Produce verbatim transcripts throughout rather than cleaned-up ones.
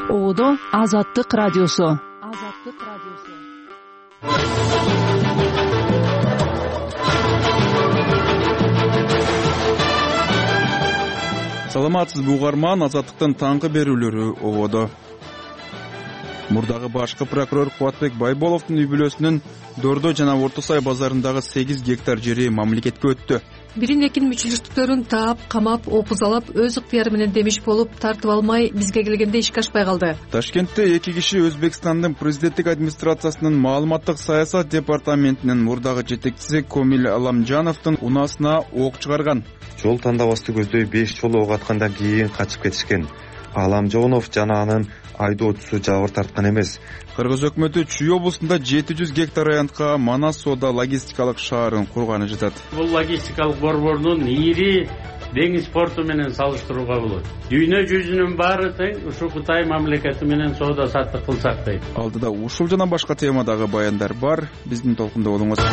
Оодо Азаттык радиосу. Азаттык радиосу. Саламатсызбы угарман, Азаттыктын таңкы берүүлөрү ободо. Мурдагы башкы прокурор Кубатбек Байболовдун үй бүлөсүнүн Дордо жана Орто Сай базарындагы сегиз гектар жери мамлекетке өттү. Бирин экинин мүчүлүштүктөрүн таап, камап, опузалап, өз ыктыяры менен демиш болуп тартып алмай бизге келгенде ишке ашпай калды. Ташкентте эки киши Өзбекстандын президенттик администрациясынын маалыматтык саясат департаментинин мурдагы жетекчиси Комил Аламжановдун унаасына ок чыгарган. Жол тандабасты көздөй беш жолу ок аткандан кийин качып кетишкен. Аламжонов жана анын айдоочусу жабыр тарткан эмес. Кыргыз өкмөтү Чүй облусунда жети жүз гектар аянтка Манас соода логистикалык шаарын курганы жатат. Бул логистикалык борбордун ири деңиз порту менен салыштырууга болот. Дүйнө жүзүнүн баары тең ушу Кытай мамлекети менен соода саттык кылсак дейт. Алдыда ушул жана башка темадагы баяндар бар. Биздин толкунда болуңуз.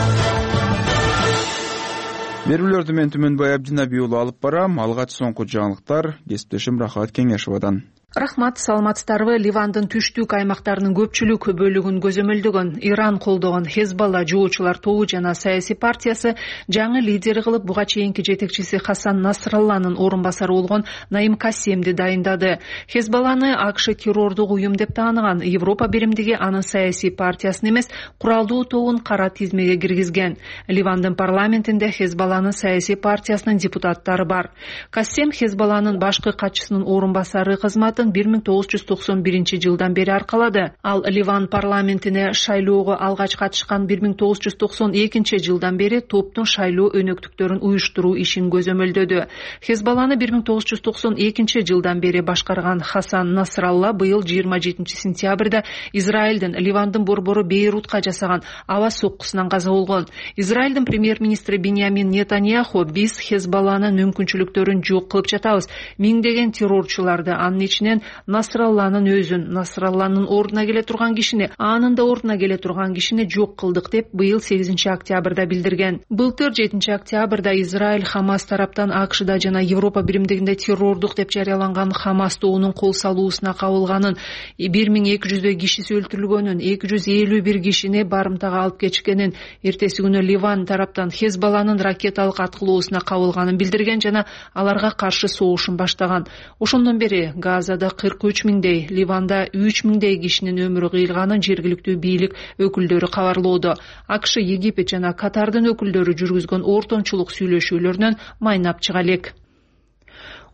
Берүүлөрдү мен Түмөнбай Абдинаби уулу алып барам. Алгач соңку жаңылыктар кесиптешим Рахат Кеңешовадан. Рахмат, саламатсыздарбы? Ливандын түштүк аймактарынын көпчүлүк бөлүгүн көзөмөлдөгөн Иран колдогон Хезбалла жоочулар тобу жана саясий партиясы жаңы лидери кылып буга чейинки жетекчиси Хасан Насралланын орун басары болгон Наим Кассемди дайындады. Хезбалланы АКШ террордук уюм деп тааныган. Европа биримдиги анын саясий партиясын эмес, куралдуу тобун кара тизмеге киргизген. Ливандын парламентинде Хезбалланын саясий партиясынын депутаттары бар. Кассем Хезбалланын башкы катчысынын орун басары кызматын бир миң тогуз жүз токсон биринчи жылдан бери аркалады. Ал Ливан парламентине шайлоого алгач катышкан бир миң тогуз жүз токсон экинчи жылдан бери топтун шайлоо өнөктүктөрүн уюштуруу ишин көзөмөлдөдү. Хезбалланы бир миң тогуз жүз токсон экинчи жылдан бери башкарган Хасан Насралла быйыл жыйырма жетинчи сентябрда Израилдин Ливандын борбору Бейрутка жасаган аба соккусунан каза болгон. Израилдин премьер-министри Биньямин Нетаньяху: "Биз Хезбалланын мүмкүнчүлүктөрүн жок кылып жатабыз. Миңдеген террорчуларды, анын ичинен Насралланын өзүн, Насралланын ордуна келе турган кишини, анын да ордуна келе турган кишини жок кылдык" деп быйыл сегизинчи октябрда билдирген. Былтыр жетинчи октябрда Израиль Хамас тараптан АКШда жана Европа биримдигинде террордук деп жарыяланган Хамас тобунун кол салуусуна кабылганын, бир миң эки жүздөй кишиси өлтүрүлгөнүн, эки жүз элүү бир кишини барымтага алып кетишкенин, эртеси күнү Ливан тараптан Хезбалланын ракеталык аткылоосуна кабылганын билдирген жана аларга каршы согушун баштаган. Ошондон бери Газада кырк үч миңдей, Ливанда үч миңдей кишинин өмүрү кыйылганын жергиликтүү бийлик өкүлдөрү кабарлоодо. АКШ, Египет жана Катардын өкүлдөрү жүргүзгөн ортомчулук сүйлөшүүлөрүнөн майнап чыга элек.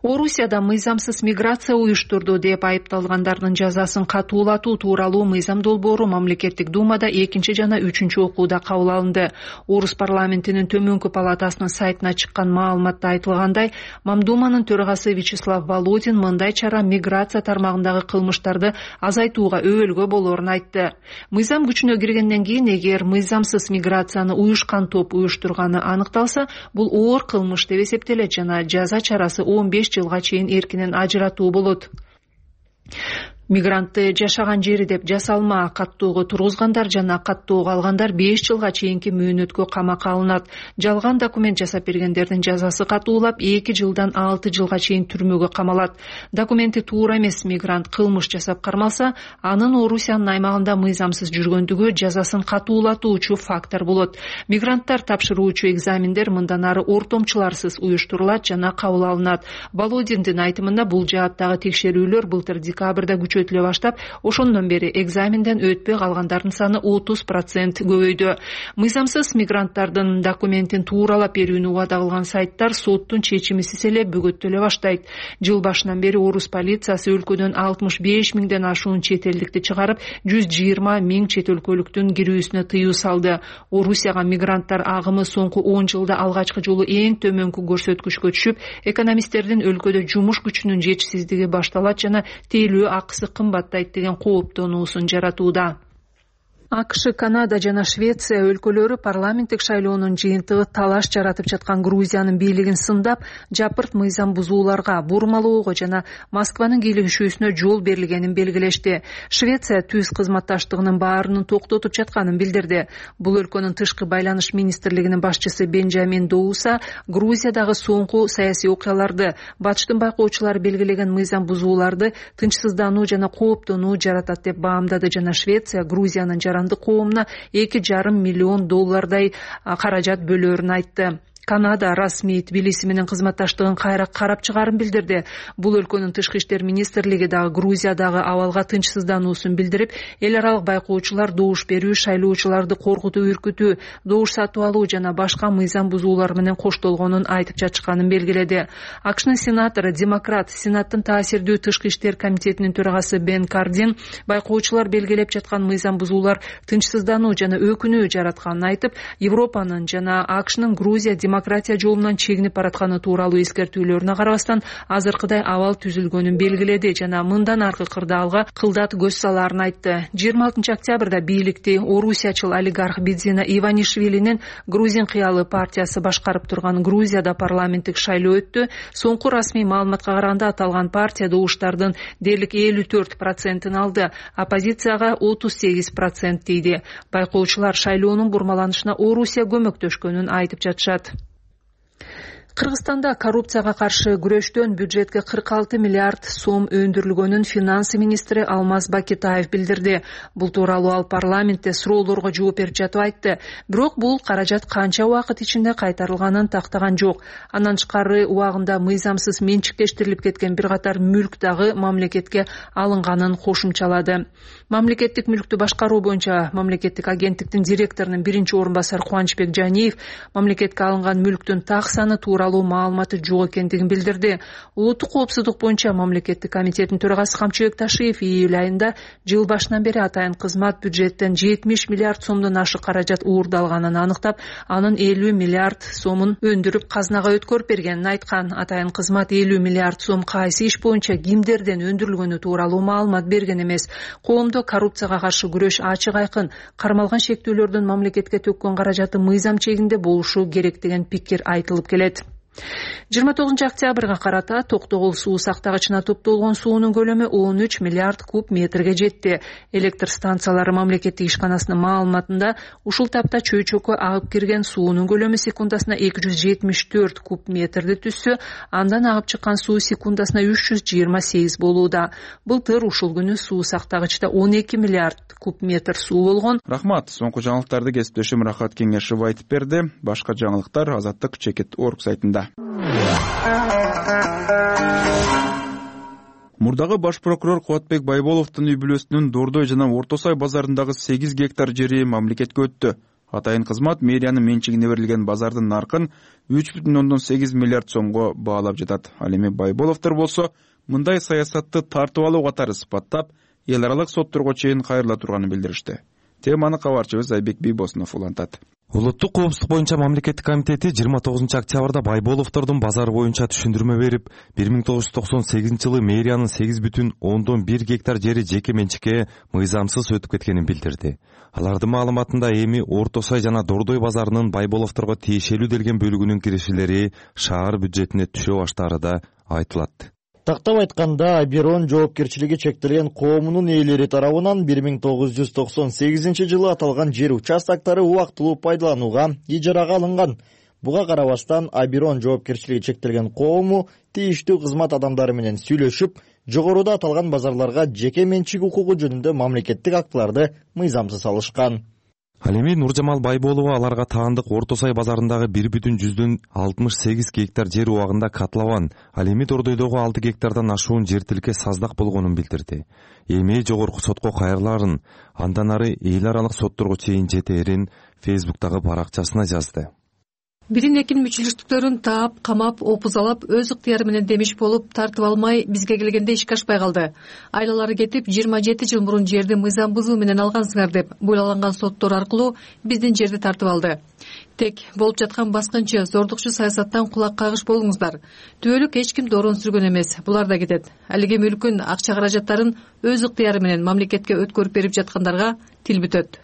Орусияда мыйзамсыз миграция уюштурду деп айыпталгандардын жазасын катуулатуу тууралуу мыйзам долбоору мамлекеттик думада экинчи жана үчүнчү окууда кабыл алынды. Орус парламентинин төмөнкү палатасынын сайтына чыккан маалыматта айтылгандай, Мамдуманын төрагасы Вячеслав Володин мындай чара миграция тармагындагы кылмыштарды азайтууга өбөлгө болоорун айтты. Мыйзам күчүнө киргенден кийин, эгер мыйзамсыз миграцияны уюшкан топ уюштурганы аныкталса, бул оор кылмыш деп эсептелет жана жаза чарасы он беш жылга чейин эркинен ажыратуу болот. Мигрантты жашаган жери деп жасалма каттоого тургузгандар жана каттоого алгандар беш жылга чейинки мөөнөткө камакка алынат. Жалган документ жасап бергендердин жазасы катуулап эки жылдан алты жылга чейин түрмөгө камалат. Документи туура эмес мигрант кылмыш жасап кармалса, анын Орусиянын аймагында мыйзамсыз жүргөндүгү жазасын катуулатуучу фактор болот. Мигранттар тапшыруучу экзамендер мындан ары ортомчуларсыз уюштурулат жана кабыл алынат. Володиндин айтымында, бул жааттагы текшерүүлөр былтыр декабрда күчөтүлө баштап, ошондон бери экзаменден өтпөй калгандардын саны отуз процент көбөйдү. Мыйзамсыз мигранттардын документин тууралап берүүнү убада кылган сайттар соттун чечимисиз эле бөгөттөлө баштайт. Жыл башынан бери орус полициясы өлкөдөн алтымыш беш миңден ашуун чет элдикти чыгарып, жүз жыйырма миң чет өлкөлүктүн кирүүсүнө тыюу салды. Орусияга мигранттар агымы соңку он жылда алгачкы жолу эң төмөнкү көрсөткүчкө түшүп, экономисттердин өлкөдө жумуш күчүнүн жетишсиздиги башталат жана тейлөө акысы кымбаттайт деген кооптонуусун жаратууда. АКШ, Канада жана Швеция өлкөлөрү парламенттик шайлоонун жыйынтыгы талаш жаратып жаткан Грузиянын бийлигин сындап, жапырт мыйзам бузууларга, бурмалоого жана Москванын кийлигишүүсүнө жол берилгенин белгилешти. Швеция түз кызматташтыгынын баарынын токтотуп жатканын билдирди. Бул өлкөнүн тышкы байланыш министрлигинин башчысы Бенджамин Доуса Грузиядагы соңку саясий окуяларды, батыштын байкоочулары белгилеген мыйзам бузууларды тынчсыздануу жана кооптонуу жаратат деп баамдады жана Швеция Грузиянын коомуна эки жарым миллион доллардай каражат бөлөөрүн айтты. Канада расмий Тбилиси менен кызматташтыгын кайра карап чыгаарын билдирди. Бул өлкөнүн тышкы иштер министрлиги дагы Грузиядагы абалга тынчсыздануусун билдирип, эл аралык байкоочулар добуш берүү, шайлоочуларды коркутуу, үркүтүү, добуш сатып алуу жана башка мыйзам бузуулар менен коштолгонун айтып жатышканын белгиледи. АКШнын сенатору, демократ, Сенаттын таасирдүү тышкы иштер комитетинин төрагасы Бен Кардин байкоочулар белгилеп жаткан мыйзам бузуулар тынчсыздануу жана өкүнүү жаратканын айтып, Европанын жана АКШнын Грузия демократия жолунан чегинип баратканы тууралуу эскертүүлөрүнө карабастан азыркыдай абал түзүлгөнүн белгиледи жана мындан аркы кырдаалга кылдат көз салаарын айтты. жыйырма алтынчы октябрда бийликти орусиячыл олигарх Бидзина Иванишвилинин Грузин кыялы партиясы башкарып турган Грузияда парламенттик шайлоо өттү. Соңку расмий маалыматка караганда аталган партия добуштардын дээрлик элүү төрт процентин алды, оппозицияга отуз сегиз процент тийди. Байкоочулар шайлоонун бурмаланышына Орусия көмөктөшкөнүн айтып жатышат. Кыргызстанда коррупцияга каршы күрөштөн бюджетке кырк алты миллиард сом өндүрүлгөнүн финансы министри Алмаз Бакетаев билдирди. Бул тууралуу ал парламентте суроолорго жооп берип жатып айтты. Бирок бул каражат канча убакыт ичинде кайтарылганын тактаган жок. Андан тышкары убагында мыйзамсыз менчиктештирилип кеткен бир катар мүлк дагы мамлекетке алынганын кошумчалады. Мамлекеттик мүлктү башкаруу боюнча мамлекеттик агенттиктин директорунун биринчи орун басары Кубанычбек Жаниев мамлекетке алынган мүлктүн так саны тууралуу маалыматы жок экендигин билдирди. Улуттук коопсуздук боюнча мамлекеттик комитеттин төрагасы Камчыбек Ташиев июль айында жыл башынан бери атайын кызмат бюджеттен жетимиш миллиард сомдон ашык каражат уурдалганын аныктап, анын элүү миллиард сомун өндүрүп казынага өткөрүп бергенин айткан. Атайын кызмат элүү миллиард сом кайсы иш боюнча кимдерден өндүрүлгөнү тууралуу маалымат берген эмес. Коомдо коррупцияга каршы күрөш ачык айкын, кармалган шектүүлөрдүн мамлекетке төккөн каражаты мыйзам чегинде болушу керек деген пикир айтылып келет. жыйырма тогузунчу октябрга карата Токтогул суу сактагычына топтолгон суунун көлөмү он үч миллиард куб метрге жетти. Электр станциялары мамлекеттик ишканасынын маалыматында ушул тапта чөйчөккө агып кирген суунун көлөмү секундасына эки жүз жетимиш төрт куб метрди түзсө, андан агып чыккан суу секундасына үч жүз жыйырма сегиз болууда. Былтыр ушул күнү суу сактагычта он эки миллиард куб метр суу болгон. Рахмат. Соңку жаңылыктарды кесиптешим Рахат Кеңешов айтып берди. Башка жаңылыктар Азаттык чекит точка орг сайтында. Мурдагы баш прокурор Кубатбек Байболовдун үй бүлөсүнүн Дордой жана Орто Сай базарындагы сегиз гектар жери мамлекетке өттү. Атайын кызмат мэриянын менчигине берилген базардын наркын үч бүтүн ондон сегиз миллиард сомго баалап жатат. Ал эми Байболовдор болсо мындай саясатты тартып алуу катары сыпаттап, эл аралык сотторго чейин кайрыла турганын билдиришти. Теманы кабарчыбыз Айбек Бийбосунов улантат. Улуттук коопсуздук боюнча мамлекеттик комитети жыйырма тогузунчу октябрда Байболовдордун базары боюнча түшүндүрмө берип, бир миң тогуз жүз токсон сегизинчи жылы мэриянын сегиз бүтүн ондон бир гектар жери жеке менчикке мыйзамсыз өтүп кеткенин билдирди. Алардын маалыматында эми Орто Сай жана Дордой базарынын Байболовдорго тиешелүү делген бөлүгүнүн киришелери шаар бюджетине түшө баштаары да айтылат. Тактап айтканда, Аберон жоопкерчилиги чектелген коомунун ээлери тарабынан бир миң тогуз жүз токсон сегизинчи жылы аталган жер участоктары убактылуу пайдаланууга, ижарага алынган. Буга карабастан Аберон жоопкерчилиги чектелген коому тийиштүү кызмат адамдары менен сүйлөшүп, жогоруда аталган базарларга жеке менчик укугу жөнүндө мамлекеттик актыларды мыйзамсыз алышкан. Ал эми Нуржамал Байболова аларга таандык Орто Сай базарындагы бир бүтүн жүздөн алтымыш сегиз гектар жер убагында катлабан, ал эми Дордойдогу алты гектардан ашуун жер тилке саздак болгонун билдирди. Эми жогорку сотко кайрыларын, андан ары эл аралык сотторго чейин жетээрин Фейсбуктагы баракчасына жазды. Бирин экин мүчүлүштүктөрүн таап, камап, опузалап, өз ыктыяры менен демиш болуп тартып алмай бизге келгенде ишке ашпай калды. Айлалары кетип, жыйырма жети жыл мурун жерди мыйзам бузуу менен алгансыңар деп буйлаланган соттор аркылуу биздин жерди тартып алды. Тек болуп жаткан баскынчы, зордукчу саясаттан кулак кагыш болуңуздар. Түбөлүк эч ким дорун сүргөн эмес, булар да кетет. Алиге мүлкүн, акча каражаттарын өз ыктыяры менен мамлекетке өткөрүп берип жаткандарга тил бүтөт.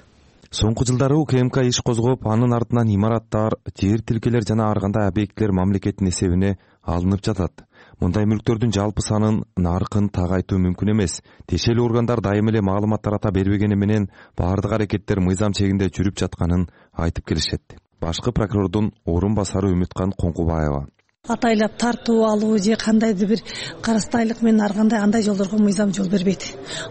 Соңку жылдары УКМК иш козгоп, анын артынан имараттар, жер тилкелер жана ар кандай объектилер мамлекеттин эсебине алынып жатат. Мындай мүлктөрдүн жалпы санын, наркын так айтуу мүмкүн эмес. Тиешелүү органдар дайым эле маалымат тарата бербегени менен баардык аракеттер мыйзам чегинде жүрүп жатканын айтып келишет. Башкы прокурордун орун басары Үмүткан Коңкубаева: атайлап тартуу алуу же кандайдыр бир карастайлык менен ар кандай андай жолдорго мыйзам жол бербейт.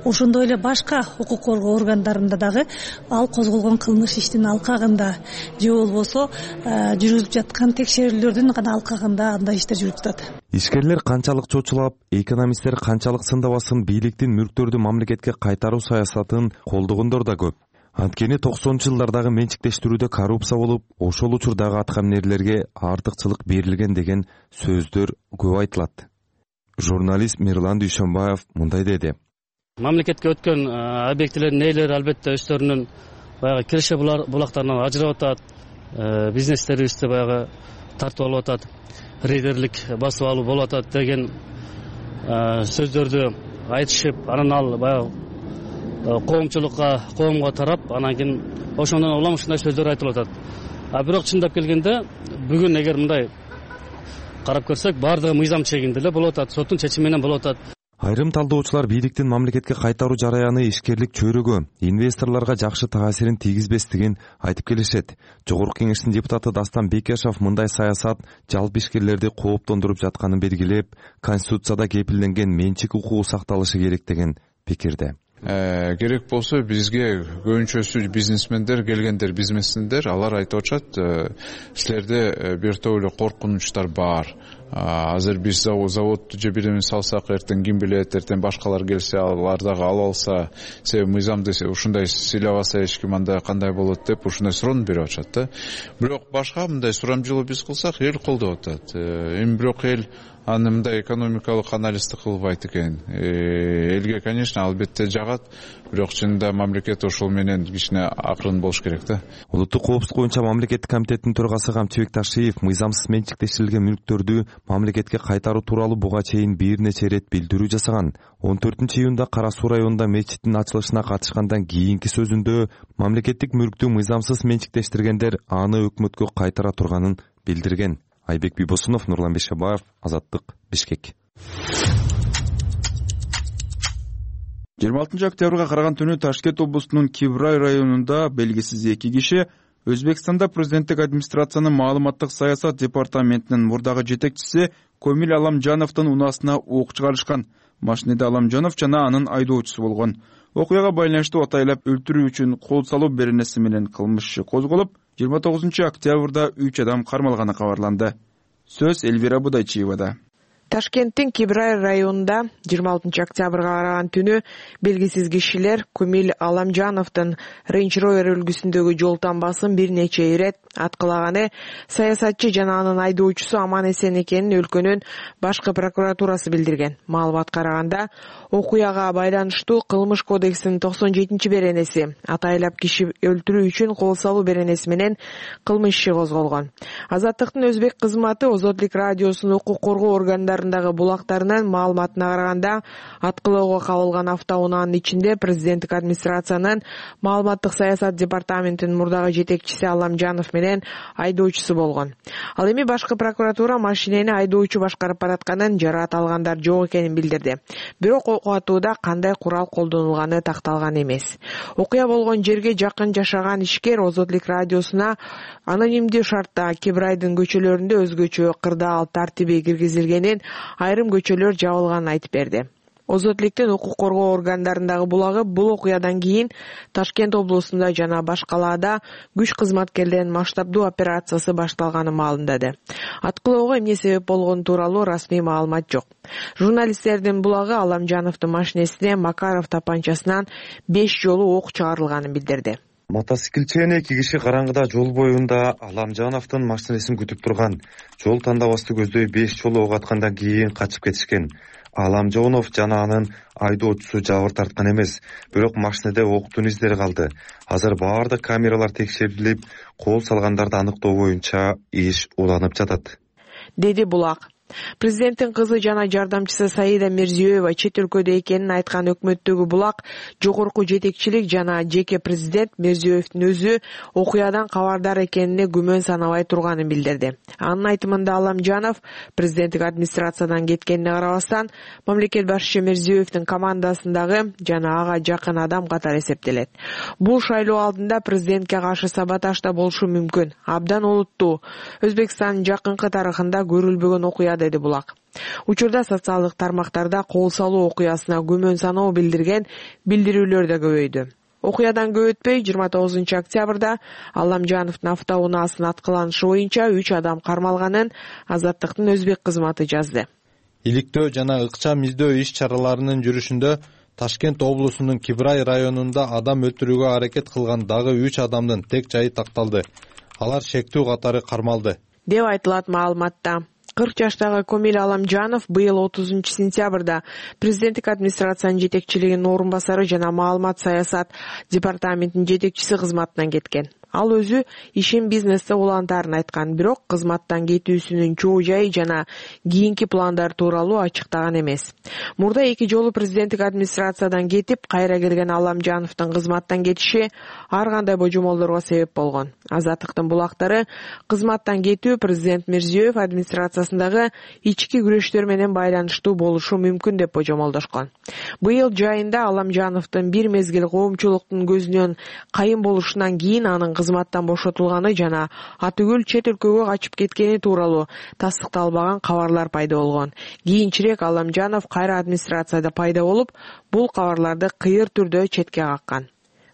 Ошондой эле башка укук коргоо органдарында дагы ал козголгон кылмыш иштин алкагында же болбосо жүргүзүлүп жаткан текшерүүлөрдүн гана алкагында андай иштер жүрүп жатат. Ишкерлер канчалык чочулап, экономисттер канчалык сындабасын бийликтин мүлктөрдү мамлекетке кайтаруу саясатын колдогондор да көп. Анткени токсонунчу жылдардагы менчиктештирүүдө коррупция болуп, ошол учурдагы аткаминерлерге артыкчылык берилген деген сөздөр көп айтылат. Журналист Мирлан Дүйшөнбаев мындай деди: мамлекетке өткөн объектилердин ээлери албетте өздөрүнүн баягы киреше булактарынан ажырап атат, бизнестерибизди баягы тартып алып атат, рейдерлик басып алуу болуп атат деген сөздөрдү айтышып, анан ал баягы коомчулукка, коомго тарап, анан кийин ошондон улам ушундай сөздөр айтылып атат. А бирок чындап келгенде бүгүн эгер мындай карап көрсөк, баардыгы мыйзам чегинде эле болуп атат, соттун чечими менен болуп атат. Айрым талдоочулар бийликтин мамлекетке кайтаруу жараяны ишкерлик чөйрөгө, инвесторлорго жакшы таасирин тийгизбестигин айтып келишет. Жогорку кеңештин депутаты Дастан Бекешов мындай саясат жалпы ишкерлерди кооптондуруп жатканын белгилеп, конституцияда кепилденген менчик укугу сакталышы керек деген пикирде. Керек болсо бизге көбүнчөсү бизнесмендер келгендер, бизнесмендер алар айтып атышат, силерде бир топ эле коркунучтар бар. Азыр биз заводду же бир эме салсак, эртең ким билет, эртең башкалар келсе, алар дагы алып алса, себеби мыйзамды ушундай сыйлабаса эч ким анда кандай болот деп ушундай суроону берип атышат да. Бирок башка мындай сурамжылоо биз кылсак, эл колдоп атат. Эми бирок эл аны мындай экономикалык анализди кылбайт экен. Элге, конечно, албетте жагат, бирок чынында мамлекет ошол менен кичине акырын болуш керек да. Улуттук коопсуздук боюнча мамлекеттик комитеттин төрагасы Камчыбек Ташиев мыйзамсыз менчиктештирилген мүлктөрдү мамлекетке кайтаруу тууралуу буга чейин бир нече ирет билдирүү жасаган. он төртүнчү июнда Кара Суу районунда мечиттин ачылышына катышкандан кийинки сөзүндө мамлекеттик мүлктү мыйзамсыз менчиктештиргендер аны өкмөткө кайтара турганын билдирген. Айбек Бибосунов, Нурлан Бешебаев, Азаттык, Бишкек. жыйырма алтынчы октябрга караган түнү Ташкент облусунун Кибрай районунда белгисиз эки киши Өзбекстанда президенттик администрациянын маалыматтык саясат департаментинин мурдагы жетекчиси Комил Аламжановдун унаасына ок чыгарышкан. Машинеде Аламжанов жана анын айдоочусу болгон. Окуяга байланыштуу атайлап өлтүрүү үчүн кол салуу беренеси менен кылмыш иши козголуп, жыйырма тогузунчу октябрда үч адам кармалганы кабарланды. Сөз Элвира Будайчиевада. Ташкенттин Кибрай районунда жыйырма алтынчы октябрга караган түнү белгисиз кишилер Комил Аламжановдун Range Rover үлгүсүндөгү жол тамбасын бир нече ирет аткылаганы саясатчы жана анын айдоочусу аман эсен экенин өлкөнүн башкы прокуратурасы билдирген. Маалыматка караганда, окуяга байланыштуу Кылмыш кодексинин токсон жетинчи беренеси атайлап киши өлтүрүү үчүн кол салуу беренеси менен кылмыш иши козголгон. Азаттыктын өзбек кызматы Озотлук радиосунун укук коргоо органдарындагы булактарынын маалыматына караганда, аткылоого кабылган автоунаанын ичинде президенттик администрациянын маалыматтык саясат департаментинин мурдагы жетекчиси Аламжанов менен айдоочусу болгон. Ал эми башкы прокуратура машинени айдоочу башкарып баратканын, жараат алгандар жок экенин билдирди. Бирок окуатууда кандай курал колдонулганы такталган эмес. Окуя болгон жерге жакын жашаган ишкер Озотлук радиосуна анонимдүү шартта Кибрайдын көчөлөрүндө өзгөчө кырдаал тартиби киргизилгенин, айрым көчөлөр жабылганын айтып берди. Озотлуктун укук коргоо органдарындагы булагы бул окуядан кийин Ташкент облусунда жана башкаларда күч кызматкерлеринин масштабдуу операциясы башталганы маалымдады. Аткылоого эмне себеп болгону тууралуу расмий маалымат жок. Журналисттердин булагы Аламжановдун машинесине Макаров тапанчасынан беш жолу ок чыгарылганын билдирди. Мотоциклчен эки киши караңгыда жол боюнда Аламжановдун машинесин күтүп турган. Жол тандабасты көздөй беш жолу ок аткандан кийин качып кетишкен. Аламжанов жана анын айдоочусу жабыр тарткан эмес, бирок машинеде октун издери калды. Азыр баардык камералар текшерилип, кол салгандарды аныктоо боюнча иш уланып жатат, деди булак. Президенттин кызы жана жардамчысы Саида Мирзиёева чет өлкөдө экенин айткан өкмөттөгү булак жогорку жетекчилик жана жеке президент Мирзиёевдин өзү окуядан кабардар экенине күмөн санабай турганын билдирди. Анын айтымында Аламжанов президенттик администрациядан кеткенине карабастан мамлекет башчысы Мирзиёевдин командасындагы жана ага жакын адам катары эсептелет. Бул шайлоо алдында президентке каршы саботаж да болушу мүмкүн. Абдан олуттуу. Өзбекстандын жакынкы тарыхында көрүлбөгөн окуя, деди булак. Учурда социалдык тармактарда кол салуу окуясына күмөн саноо билдирген билдирүүлөр да көбөйдү. Окуядан көп өтпөй жыйырма тогузунчу октябрда Аламжановдун автоунаасынын аткыланышы боюнча үч адам кармалганын Азаттыктын өзбек кызматы жазды. Иликтөө жана ыкчам издөө иш-чараларынын жүрүшүндө Ташкент облусунун Кибрай районунда адам өлтүрүүгө аракет кылган дагы үч адамдын тек жайы такталды. Алар шектүү катары кармалды, деп айтылат маалыматта. кырк жаштагы Комил Аламжанов быйыл отузунчу сентябрда президенттик администрациянын жетекчилигинин орун басары жана маалымат саясат департаментинин жетекчиси кызматынан кеткен. Ал өзү ишин бизнесте улантарын айткан, бирок кызматтан кетүүсүнүн чоо жайы жана кийинки пландар тууралуу ачыктаган эмес. Мурда эки жолу президенттик администрациядан кетип, кайра келген Аламжановдун кызматтан кетиши ар кандай божомолдорго себеп болгон. Азаттыктын булактары кызматтан кетүү президент Мирзиёев администрациясындагы ички күрөштөр менен байланыштуу болушу мүмкүн деп божомолдошкон. Быйыл жайында Аламжановдун бир мезгил коомчулуктун көзүнөн кайын болушунан кийин анын кызматтан бошотулганы жана атүгүл чет өлкөгө качып кеткени тууралуу тастыкталбаган кабарлар пайда болгон. Кийинчерээк Аламжанов кайра администрацияда пайда болуп, бул кабарларды кыйыр түрдө четке каккан.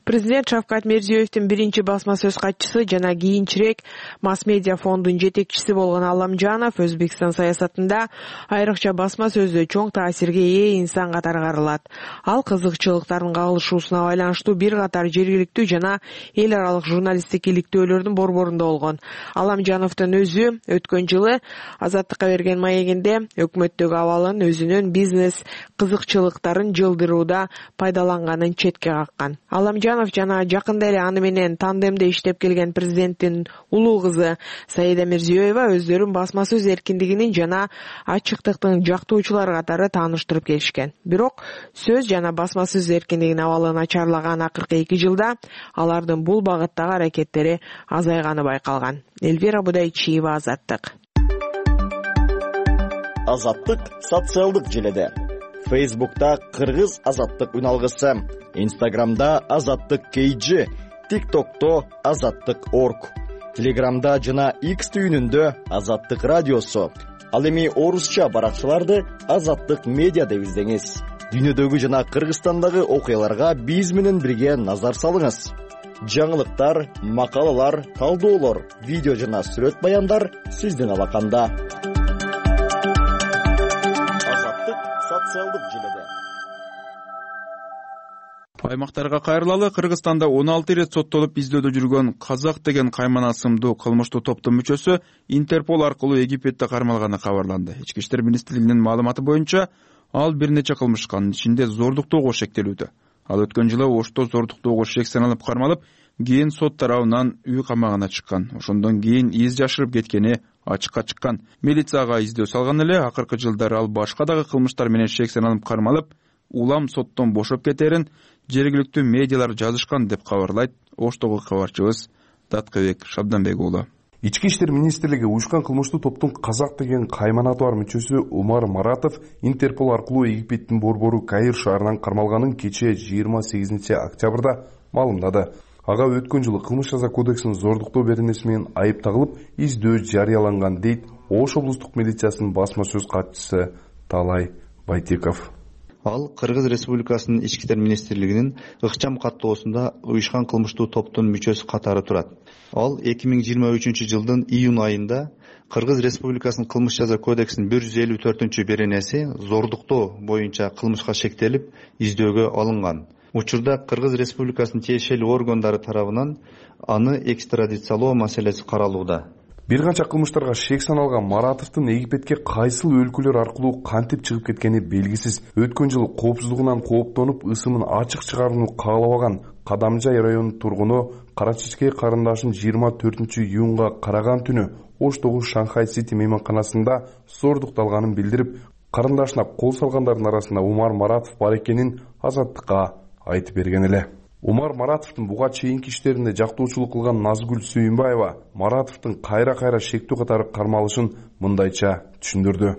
Президент Шавкат Мирзиёевдин биринчи басма сөз катчысы жана кийинчерээк масс-медиа фондунун жетекчиси болгон Аламжанов Өзбекстан саясатында айрыкча басма сөздө чоң таасирге ээ инсан катары каралат. Ал кызыкчылыктардын кагылышуусуна байланыштуу бир катар жергиликтүү жана эл аралык журналисттик иликтөөлөрдүн борборунда болгон. Аламжановдун өзү өткөн жылы Азаттыкка берген маегинде өкмөттөгү абалын өзүнүн бизнес кызыкчылыктарын жылдырууда пайдаланганын четке каккан. Аламжанов жана жакында эле аны менен тандемде иштеп келген президенттин улуу кызы Саида Мирзиёева өздөрүн басма сөз эркиндигинин жана ачыктыктын жактоочулары катары тааныштырып келишкен. Бирок сөз жана басма сөз эркиндигинин абалы начарлаган акыркы эки жылда алардын бул багыттагы аракеттери азайганы байкалган. Элвира Будайчиева, Азаттык. Азаттык социалдык желеде. Фейсбукта Кыргыз Азаттык үналгысы, Инстаграмда Азаттык кейджи, ТикТокто Азаттык орг, Телеграмда жана X түйүнүндө Азаттык радиосу. Ал эми орусча баракчаларды Азаттык медиа деп издеңиз. Дүйнөдөгү жана Кыргызстандагы окуяларга биз менен бирге назар салыңыз. Жаңылыктар, макалалар, талдоолор, видео жана сүрөт баяндар сиздин алаканда. Социалдык желеде. Аймактарга кайрылалы. Кыргызстанда он алты ирет соттолуп издөөдө жүргөн Казак деген каймана ысымдуу кылмыштуу топтун мүчөсү Интерпол аркылуу Египетте кармалганы кабарланды. Ички иштер министрлигинин маалыматы боюнча, ал бир нече кылмышка, анын ичинде зордуктоого шектелүүдө. Ал өткөн жылы Ошто зордуктоого шек саналып кармалып, кийин сот тарабынан үй камагына чыккан. Ошондон кийин из жашырып кеткени ачыкка чыккан. Милицияга издөө салган эле. Акыркы жылдары ал башка дагы кылмыштар менен шек саналып кармалып, улам соттон бошоп кетерин жергиликтүү медиалар жазышкан деп кабарлайт Оштогу кабарчыбыз Даткыбек Шабданбек уулу. Ички иштер министрлиги уюшкан кылмыштуу топтун Казак деген кайманаты бар мүчөсү Умар Маратов Интерпол аркылуу Египеттин борбору Каир шаарынан кармалганын кечээ жыйырма сегизинчи октябрда маалымдады. Ага өткөн жылы кылмыш жаза кодексинин зордуктоо беренеси менен айып тагылып, издөө жарыяланган дейт Ош облустук милициясынын басма сөз катчысы Талай Байтеков. Ал Кыргыз Республикасынын ички иштер министрлигинин ыкчам каттоосунда уюшкан кылмыштуу топтун мүчөсү катары турат. Ал эки миң жыйырма үчүнчү жылдын июнь айында Кыргыз Республикасынын кылмыш жаза кодексинин бир жүз элүү төртүнчү беренеси зордуктоо боюнча кылмышка шектелип издөөгө алынган. Учурда Кыргыз Республикасынын тиешелүү органдары тарабынан аны экстрадициялоо маселеси каралууда. Бир канча кылмыштарга шек саналган Маратовдун Египетке кайсыл өлкөлөр аркылуу кантип чыгып кеткени белгисиз. Өткөн жылы коопсуздугунан кооптонуп, ысымын ачык чыгарууну каалабаган Кадамжай районунун тургуну Кара Чечкей карындашын жыйырма төртүнчү июнга караган түнү Оштогу Шанхай Сити мейманканасында зордукталганын билдирип, карындашына кол салгандардын арасында Умар Маратов бар экенин Азаттыкка айтып берген эле. Умар Маратовдун буга чейинки иштеринде жактоочулук кылган Назгүл Сүйүнбаева Маратовдун кайра-кайра шектүү катары кармалышын мындайча түшүндүрдү.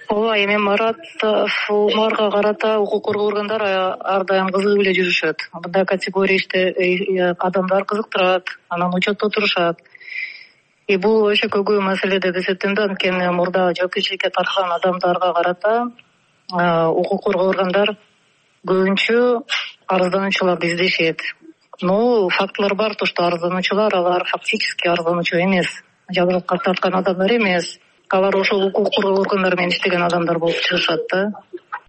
Ооба, эми Маратов Умарга карата укук коргоо органдары ар дайым кызыгып эле жүрүшөт. Мындай категория иште адамдар кызыктырат, анан учетто турушат. И бул өчө көйгөй маселе деп эсептейм да, анткени мурда жоопкерчиликке тарткан адамдарга карата укук коргоо органдар көбүнчө арыздануучуларды издешет. Но фактылар бар, то что арыздануучулар алар фактически арыздануучу эмес, жазалыкка тарткан адамдар эмес. Алар ошол укук коргоо органдары менен иштеген адамдар болуп чыгышат да.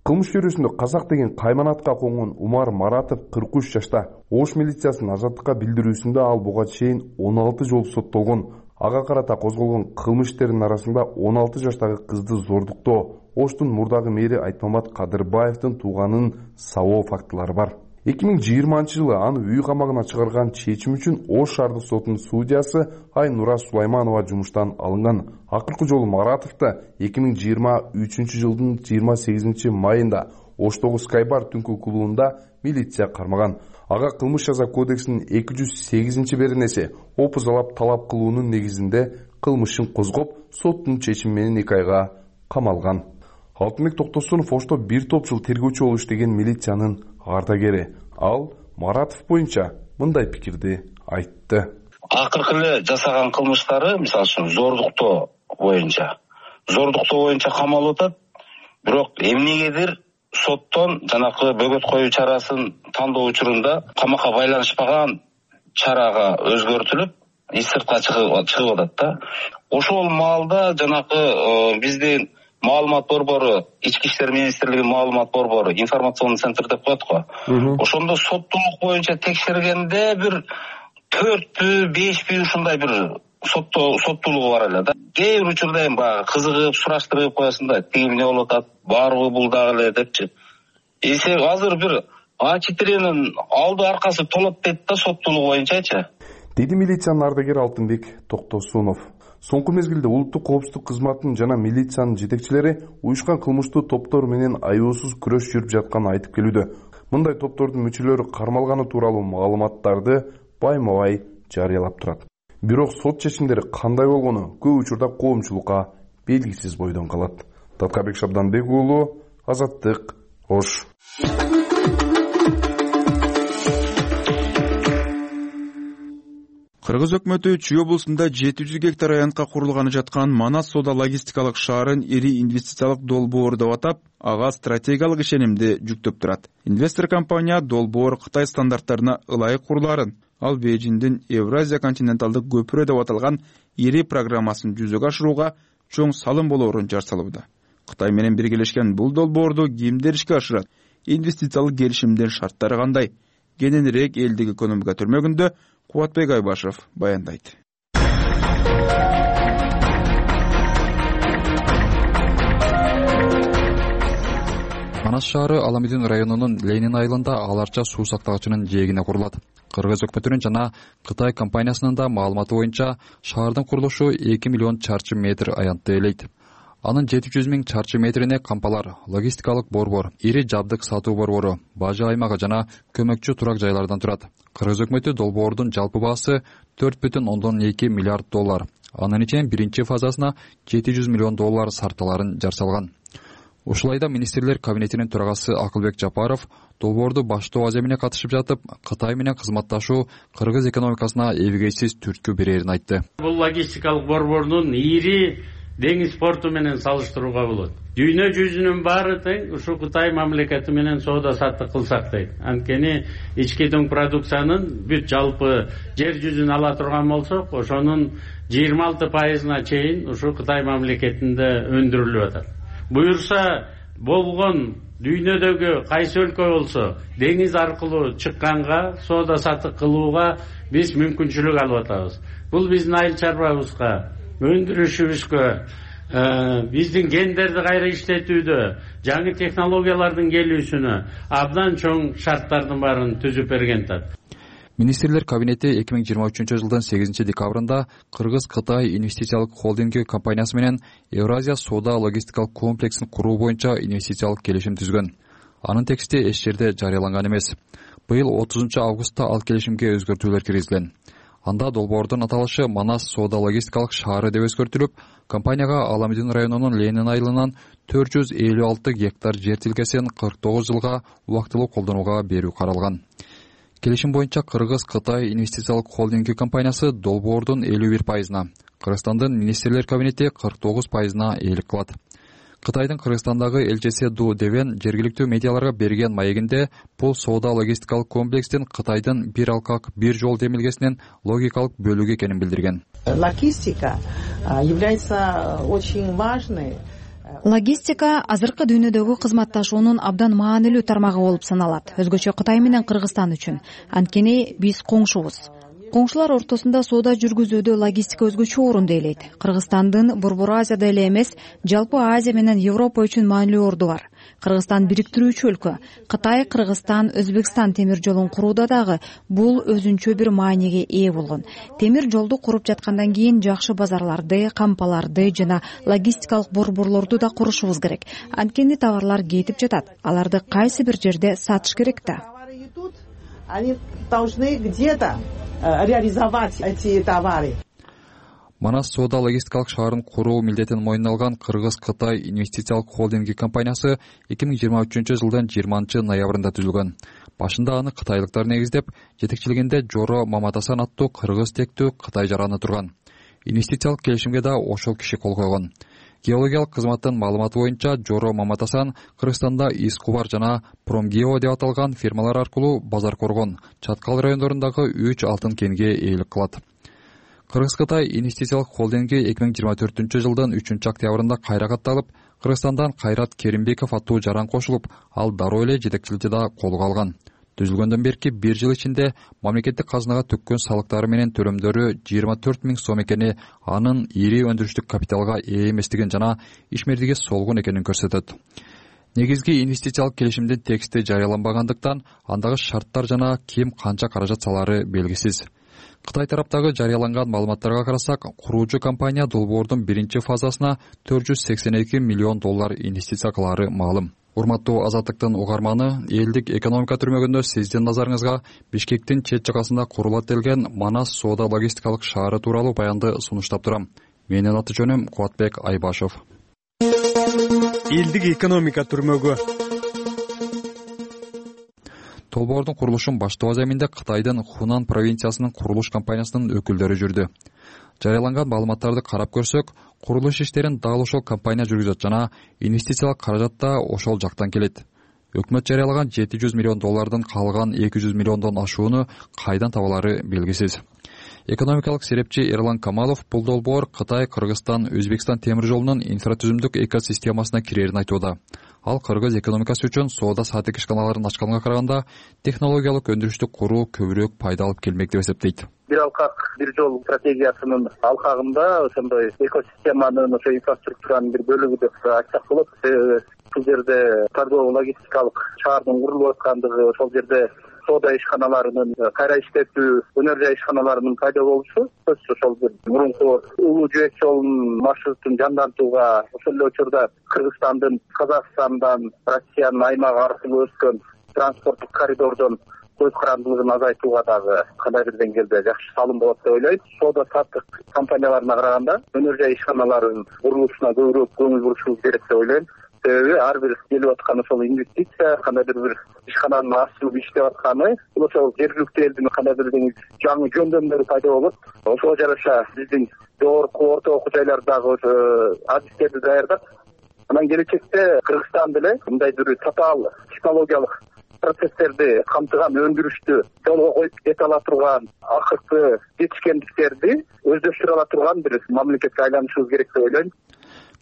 Кылмыш чөйрөсүндө Казак деген кайманатка конгон Умар Маратов кырк үч жашта. Ош милициясынын Азаттыкка билдирүүсүндө ал буга чейин он алты жолу соттолгон. Ага карата козголгон кылмыш иштеринин арасында он алты жаштагы кызды зордуктоо, Оштун мурдагы мэри Айтмамат Кадырбаевдин тууганын сабоо фактылары бар. эки миң жыйырманчы жылы аны үй камагына чыгарган чечим үчүн Ош шаардык сотунун судьясы Айнура Сулайманова жумуштан алынган. Акыркы жолу Маратовду эки миң жыйырма үчүнчү жылдын жыйырма сегизинчи майында Оштогу Скайбар түнкү клубунда милиция кармаган. Ага кылмыш жаза кодексинин эки жүз сегизинчи беренеси опузалап талап кылуунун негизинде кылмышын козгоп, соттун чечими менен эки айга камалган. Алтынбек Токтосунов Ошто бир топ жыл тергөөчү болуп иштеген милициянын ардагери. Ал Маратов боюнча мындай пикирди айтты. Акыркы эле жасаган кылмыштары, мисалы үчүн зордуктоо боюнча, зордуктоо боюнча камалып атат. Бирок эмнегедир соттон жанакы бөгөт коюу чарасын тандоо учурунда камакка байланышпаган чарага өзгөртүлүп, эч сыртка чыгып атат да. Ошол маалда жанакы биздин маалымат борбору, Ички иштер министрлигинин маалымат борбору, информационный центр деп коет го. Ошондо соттуулук боюнча текшергенде бир төртпү, бешпи ушундай бир соттуулугу бар эле да. Кээ бир учурда эми баягы кызыгып, сураштырып коесуң да, тиги эмне болуп атат, барбы бул дагы эле депчи. Эсе азыр бир А четиренин алды аркасы толот дейт да соттуулук боюнчачы. Деди милициянын ардагери Алтынбек Токтосунов. Соңку мезгилде улуттук коопсуздук кызматынын жана милициянын жетекчилери уюшкан кылмыштуу топтор менен аюусуз күрөш жүрүп жатканын айтып келүүдө. Мындай топтордун мүчөлөрү кармалганы тууралуу маалыматтарды байма-бай жарыялап турат. Бирок сот чечимдери кандай болгону көп учурда коомчулукка белгисиз бойдон калат. Таткабек Шабданбек уулу, Азаттык, Ош. Кыргыз өкмөтү Чүй облусунда жети жүз гектар аянтка курулганы жаткан Манас соода логистикалык шаарын ири инвестициялык долбоор деп атап, ага стратегиялык ишенимди жүктөп турат. Инвестор компания долбоор Кытай стандарттарына ылайык куруларын, ал Бейжиңдин Евразия континенталдык көпүрө деп аталган ири программасын жүзөгө ашырууга чоң салым болоорун жар салууда. Кытай менен биргелешкен бул долбоорду кимдер ишке ашырат? Инвестициялык келишимдин шарттары кандай? Кененирээк элдик экономика төрмөгүндө Кубатбек Айбашев баяндайт. Манас шаары Аламидин районунун Ленин айылында аларча суу сактагычынын жээгине курулат. Кыргыз өкмөтүнүн жана Кытай компаниясынын да маалыматы боюнча шаардын курулушу эки миллион чарчы метр аянтты ээлейт. Анын жети жүз миң чарчы метрине кампалар, логистикалык борбор, ири жабдык сатуу борбору, бажы аймагы жана көмөкчү турак жайлардан турат. Кыргыз өкмөтү долбоордун жалпы баасы төрт бүтүн ондон эки миллиард доллар. Анын ичинен биринчи фазасына жети жүз миллион доллар сарталарын жар салган. Ушулайда министрлер кабинетинин төрагасы Акылбек Жапаров долбоорду баштоо аземине катышып жатып, Кытай менен кызматташуу кыргыз экономикасына эбегейсиз түрткү берерин айтты. Бул логистикалык борбордун ири деңиз порту менен салыштырууга болот. Дүйнө жүзүнүн баары тең ушу Кытай мамлекети менен соода саттык кылсак дейт. Анткени ички дүң продукциянын бүт жалпы жер жүзүн ала турган болсок, ошонун жыйырма алты пайызына чейин ушу Кытай мамлекетинде өндүрүлүп атат. Буюрса болгон дүйнөдөгү кайсы өлкө болсо деңиз аркылуу чыкканга соода саттык кылууга биз мүмкүнчүлүк алып атабыз. Бул биздин айыл чарбабызга, өндүрүшүбүзгө, биздин гендерди кайра иштетүүдө, жаңы технологиялардын келүүсүнө абдан чоң шарттардын баарын түзүп берген тат. министрлер кабинети эки миң жыйырма үчүнчү жылдын сегизинчи декабрында Кыргыз Кытай инвестициялык холдинги компаниясы менен Евразия соода логистикалык комплексин куруу боюнча инвестициялык келишим түзгөн. Анын тексти эч жерде жарыяланган эмес. Быйыл отузунчу августта ал келишимге өзгөртүүлөр киргизилген. Анда долбоордун аталышы Манас соода логистикалык шаары деп өзгөртүлүп, компанияга Аламидин районунун Ленин айылынан төрт жүз элүү алты гектар жер тилкесин кырк тогуз жылга убактылуу колдонууга берүү каралган. Келишим боюнча Кыргыз Кытай инвестициялык холдинги компаниясы долбоордун элүү бир пайызына, Кыргызстандын министрлер кабинети кырк тогуз пайызына ээлик кылат. Кытайдын Кыргызстандагы элчиси Ду Девен жергиликтүү медиаларга берген маегинде бул соода логистикалык комплекстин Кытайдын бир алкак бир жол демилгесинин логикалык бөлүгү экенин билдирген. Логистика является очень важной. Логистика азыркы дүйнөдөгү кызматташуунун абдан маанилүү тармагы болуп саналат. Өзгөчө Кытай менен Кыргызстан үчүн. Анткени биз коңшубуз. Коңшулар ортосунда соода жүргүзүүдө логистика өзгөчө орунду ээлейт. Кыргызстандын Борбор Азияда эле эмес, жалпы Азия менен Европа үчүн маанилүү орду бар. Кыргызстан бириктирүүчү өлкө. Кытай, Кыргызстан, Өзбекстан темир жолун курууда дагы бул өзүнчө бир мааниге ээ болгон. Темир жолду куруп жаткандан кийин жакшы базарларды, кампаларды жана логистикалык борборлорду да курушубуз керек. Анткени товарлар кетип жатат. Аларды кайсы бир жерде сатыш керек да. Они должны где-то реализовать эти товары. Манас соода логистикалык шаарын куруу милдетин мойнуна алган Кыргыз Кытай инвестициялык холдинги компаниясы эки миң жыйырма үчүнчү жылдын жыйырманчы ноябрында түзүлгөн. Башында аны кытайлыктар негиздеп, жетекчилигинде Жоро Маматасан аттуу кыргыз тектүү Кытай жараны турган. Инвестициялык келишимге да ошол киши кол койгон. Геологиялык кызматтын маалыматы боюнча Жоро Маматасан Кыргызстанда Искубар жана Промгео деп аталган фирмалар аркылуу Базар Коргон, Чаткал райондорундагы үч алтын кенге ээлик кылат. Кыргыз Кытай инвестициялык холдинги эки миң жыйырма төртүнчү жылдын үчүнчү октябрында кайра катталып, Кыргызстандан Кайрат Керимбеков аттуу жаран кошулуп, ал дароо эле жетекчиликти да колго алган. Түзүлгөндөн берки бир жыл ичинде мамлекеттик казынага төккөн салыктары менен төлөмдөрү жыйырма төрт миң сом экени анын ири өндүрүштүк капиталга ээ эместигин жана ишмердиги солгун экенин көрсөтөт. Негизги инвестициялык келишимдин тексти жарыяланбагандыктан андагы шарттар жана ким канча каражат салары белгисиз. Кытай тараптагы жарыяланган маалыматтарга карасак, куруучу компания долбоордун биринчи фазасына төрт жүз сексен эки миллион доллар инвестиция кылары маалым. Урматтуу Азаттыктын угарманы, элдик экономика түрмөгүндө сиздин назарыңызга Бишкектин чет жагасында курулат делген Манас соода логистикалык шаары тууралуу баянды сунуштап турам. Менин аты жөнүм Кубатбек Айбашев. Элдик экономика түрмөгү. Долбоордун курулушун баштоо аземинде Кытайдын Хунан провинциясынын курулуш компаниясынын өкүлдөрү жүрдү. Жарыяланган маалыматтарды карап көрсөк, курулуш иштерин дал ошол компания жүргүзөт жана инвестициялык каражат да ошол жактан келет. Өкмөт жарыялаган жети жүз миллион доллардын калган эки жүз миллиондон ашууну кайдан табалары белгисиз. Экономикалык серепчи Эрлан Камалов бул долбоор Кытай, Кыргызстан, Өзбекстан темир жолунун инфратүзүмдүк экосистемасына кирерин айтууда. Ал кыргыз экономикасы үчүн соода саатик ишканаларын ачканга караганда технологиялык өндүрүштү куруу көбүрөөк пайда алып келмек деп эсептейт. Бир алкак бир жол стратегиясынын алкагында ошондой экосистеманын ошо инфраструктуранын бир бөлүгү деп айтсак болот. Бул жерде торгово логистикалык шаардын курулуп аткандыгы, ошол жерде соода ишканаларынын кайра иштетүү, өнөр жай ишканаларынын пайда болушу сөзсүз ошол бир мурунку улуу жибек жолунун маршрутун жандантууга, ошол эле учурда Кыргызстандын Казакстандан Россиянын аймагы аркылуу өткөн транспорттук коридордон көз карандылыгын азайтууга дагы кандай бир деңгээлде жакшы салым болот деп ойлойм. Соода саттык компанияларына караганда өнөр жай ишканаларынын курулушуна көбүрөөк көңүл бурушубуз керек деп ойлойм. Себеби ар бир келип аткан ошол инвестиция, кандайдыр бир ишкананын ачылып иштеп атканы, бул ошол жергиликтүү элдин кандайдыр бир жаңы жөндөмдөрү пайда болот. Ошого жараша биздин жогорку орто окуу жайлардагы адистерди даярдап, анан келечекте Кыргызстан деле мындай бир татаал технологиялык процесстерди камтыган өндүрүштү жолго коюп кете ала турган, акыркы жетишкендиктерди өздөштүрө ала турган бир мамлекетке айланышыбыз керек деп ойлойм.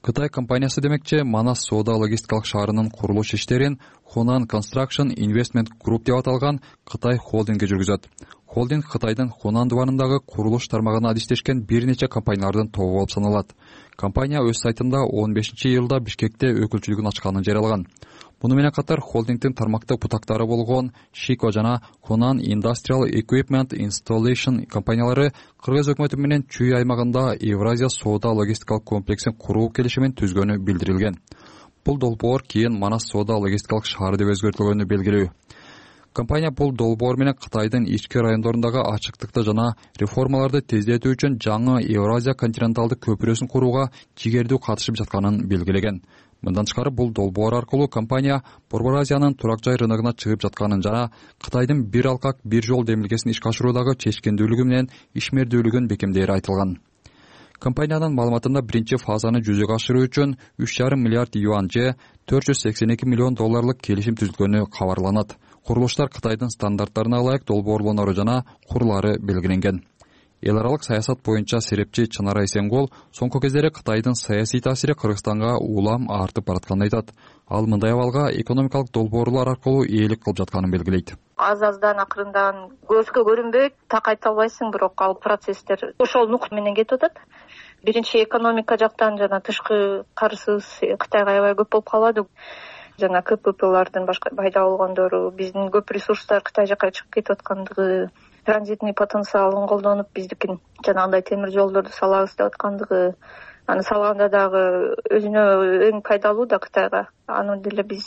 Кытай компаниясы демекчи Манас соода логистикалык шаарынын курулуш иштерин Hunan Construction Investment Group деп аталган Кытай холдинги жүргүзөт. Холдинг Кытайдын Хунан дубанындагы курулуш тармагына адистешкен бир нече компаниялардын тобу болуп саналат. Компания өз сайтында он бешинчи июлда Бишкекте өкүлчүлүгүн ачканын жарыялаган. Муну менен катар холдингдин тармактык бутактары болгон Шико жана Conan Industrial Equipment Installation компаниялары Кыргыз өкмөтү менен Чүй аймагында Евразия соода логистикалык комплексин куруу келишимин түзгөнү билдирилген. Бул долбоор кийин Манас соода логистикалык шаар деп өзгөртүлгөнү белгилүү. Компания бул долбоор менен Кытайдын ички райондорундагы ачыктыкты жана реформаларды тездетүү үчүн жаңы Евразия континенталдык көпүрөсүн курууга жигердүү катышып жатканын белгилеген. Мындан тышкары бул долбоор аркылуу компания Борбор Азиянын турак жай рыногуна чыгып жатканын жана Кытайдын бир алкак бир жол демилгесин ишке ашыруудагы чечкендүүлүгү менен ишмердүүлүгүн бекемдээри айтылган. Компаниянын маалыматында биринчи фазаны жүзөгө ашыруу үчүн үч жарым миллиард юань же төрт жүз сексен эки миллион долларлык келишим түзүлгөнү кабарланат. Курулуштар Кытайдын стандарттарына ылайык долбоорлонору жана курлары белгиленген. Эл аралык саясат боюнча серепчи Чынара Эсенгол соңку кездери Кытайдын саясий таасири Кыргызстанга улам артып баратканын айтат. Ал мындай абалга экономикалык долбоорлор аркылуу ээлик кылып жатканын белгилейт. Аз-аздан акырындан көзгө көрүнбөйт, так айта албайсың, бирок ал процесстер ошол нук менен кетип атат. Биринчи экономика жактан жана тышкы карызыбыз Кытайга аябай көп болуп калады. Жана КППлардын башка пайда болгондору, биздин көп ресурстар Кытай жака чыгып кетип аткандыгы, транзитный потенциалын колдонуп биздикин жанагындай темир жолдорду салабыз деп аткандыгы, аны салганда дагы өзүнө эң пайдалуу да Кытайга. Аны деле биз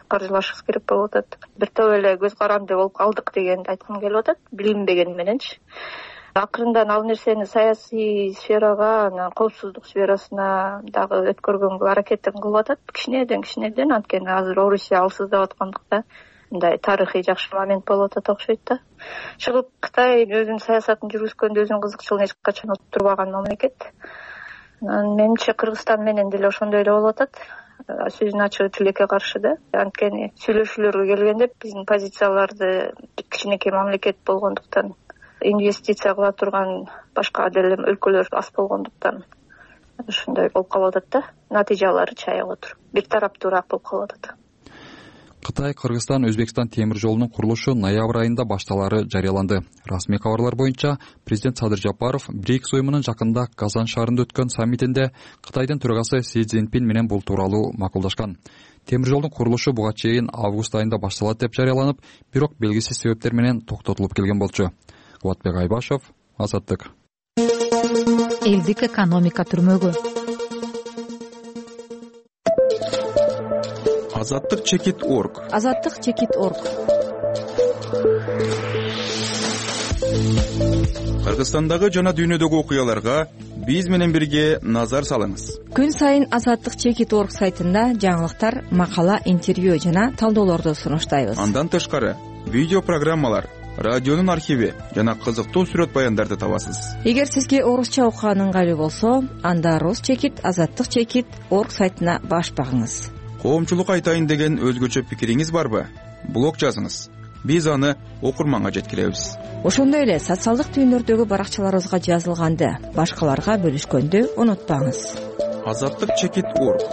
каржылашыбыз керек болуп атат. Бир топ эле көз каранды болуп калдык дегенди айткым келип атат, билинбеген мененчи. Акырындан ал нерсени саясий сферага, анан коопсуздук сферасына дагы өткөргөнгө аракетин кылып атат. Кичинеден кичинеден, анткени азыр Орусия алсыздап аткандыкта мындай тарыхый жакшы момент болуп атат окшойт да. Чыгып Кытай өзүнүн саясатын жүргүзгөндө өзүнүн кызыкчылыгын эч качан турбаган мамлекет. Менимче Кыргызстан менен деле ошондой эле болуп атат. Сөзүн ачыгы тилекке каршы да. Анткени сүйлөшүүлөргө келгенде биздин позицияларды кичинекей мамлекет болгондуктан, инвестиция кыла турган башка деле өлкөлөр аз болгондуктан ушундай болуп калып атат да. Натыйжалары чаяп отур. Бир тараптуураак болуп калып атат. Кытай, Кыргызстан, Өзбекстан темир жолунун курулушу ноябрь айында башталары жарыяланды. Расмий кабарлар боюнча президент Садыр Жапаров БРИКС уюмунун жакында Казан шаарында өткөн саммитинде Кытайдын төрагасы Си Цзиньпин менен бул тууралуу макулдашкан. Темир жолдун курулушу буга чейин август айында башталат деп жарыяланып, бирок белгисиз себептер менен токтотулуп келген болчу. Кубатбек Айбашев, Азаттык. Элдик экономика түрмөгү. Азаттык чекит орг. Азаттык чекит орг. Кыргызстандагы жана дүйнөдөгү окуяларга биз менен бирге назар салыңыз. Күн сайын Азаттык чекит орг сайтында жаңылыктар, макала, интервью жана талдоолорду сунуштайбыз. Андан тышкары видео программалар, радионун архиви жана кызыктуу сүрөт баяндарды табасыз. Эгер сизге орусча окуган ыңгайлуу болсо, анда Рус чекит, Азаттык чекит орг сайтына баш багыңыз. Коомчулук айтайын деген өзгөчө пикириңиз барбы? Блог жазыңыз. Биз аны окурманга жеткиребиз. Ошондой эле социалдык түйүндөрдөгү баракчаларыбызга жазылганды башкаларга бөлүшкөндү унутпаңыз. Азаттык чекит орг.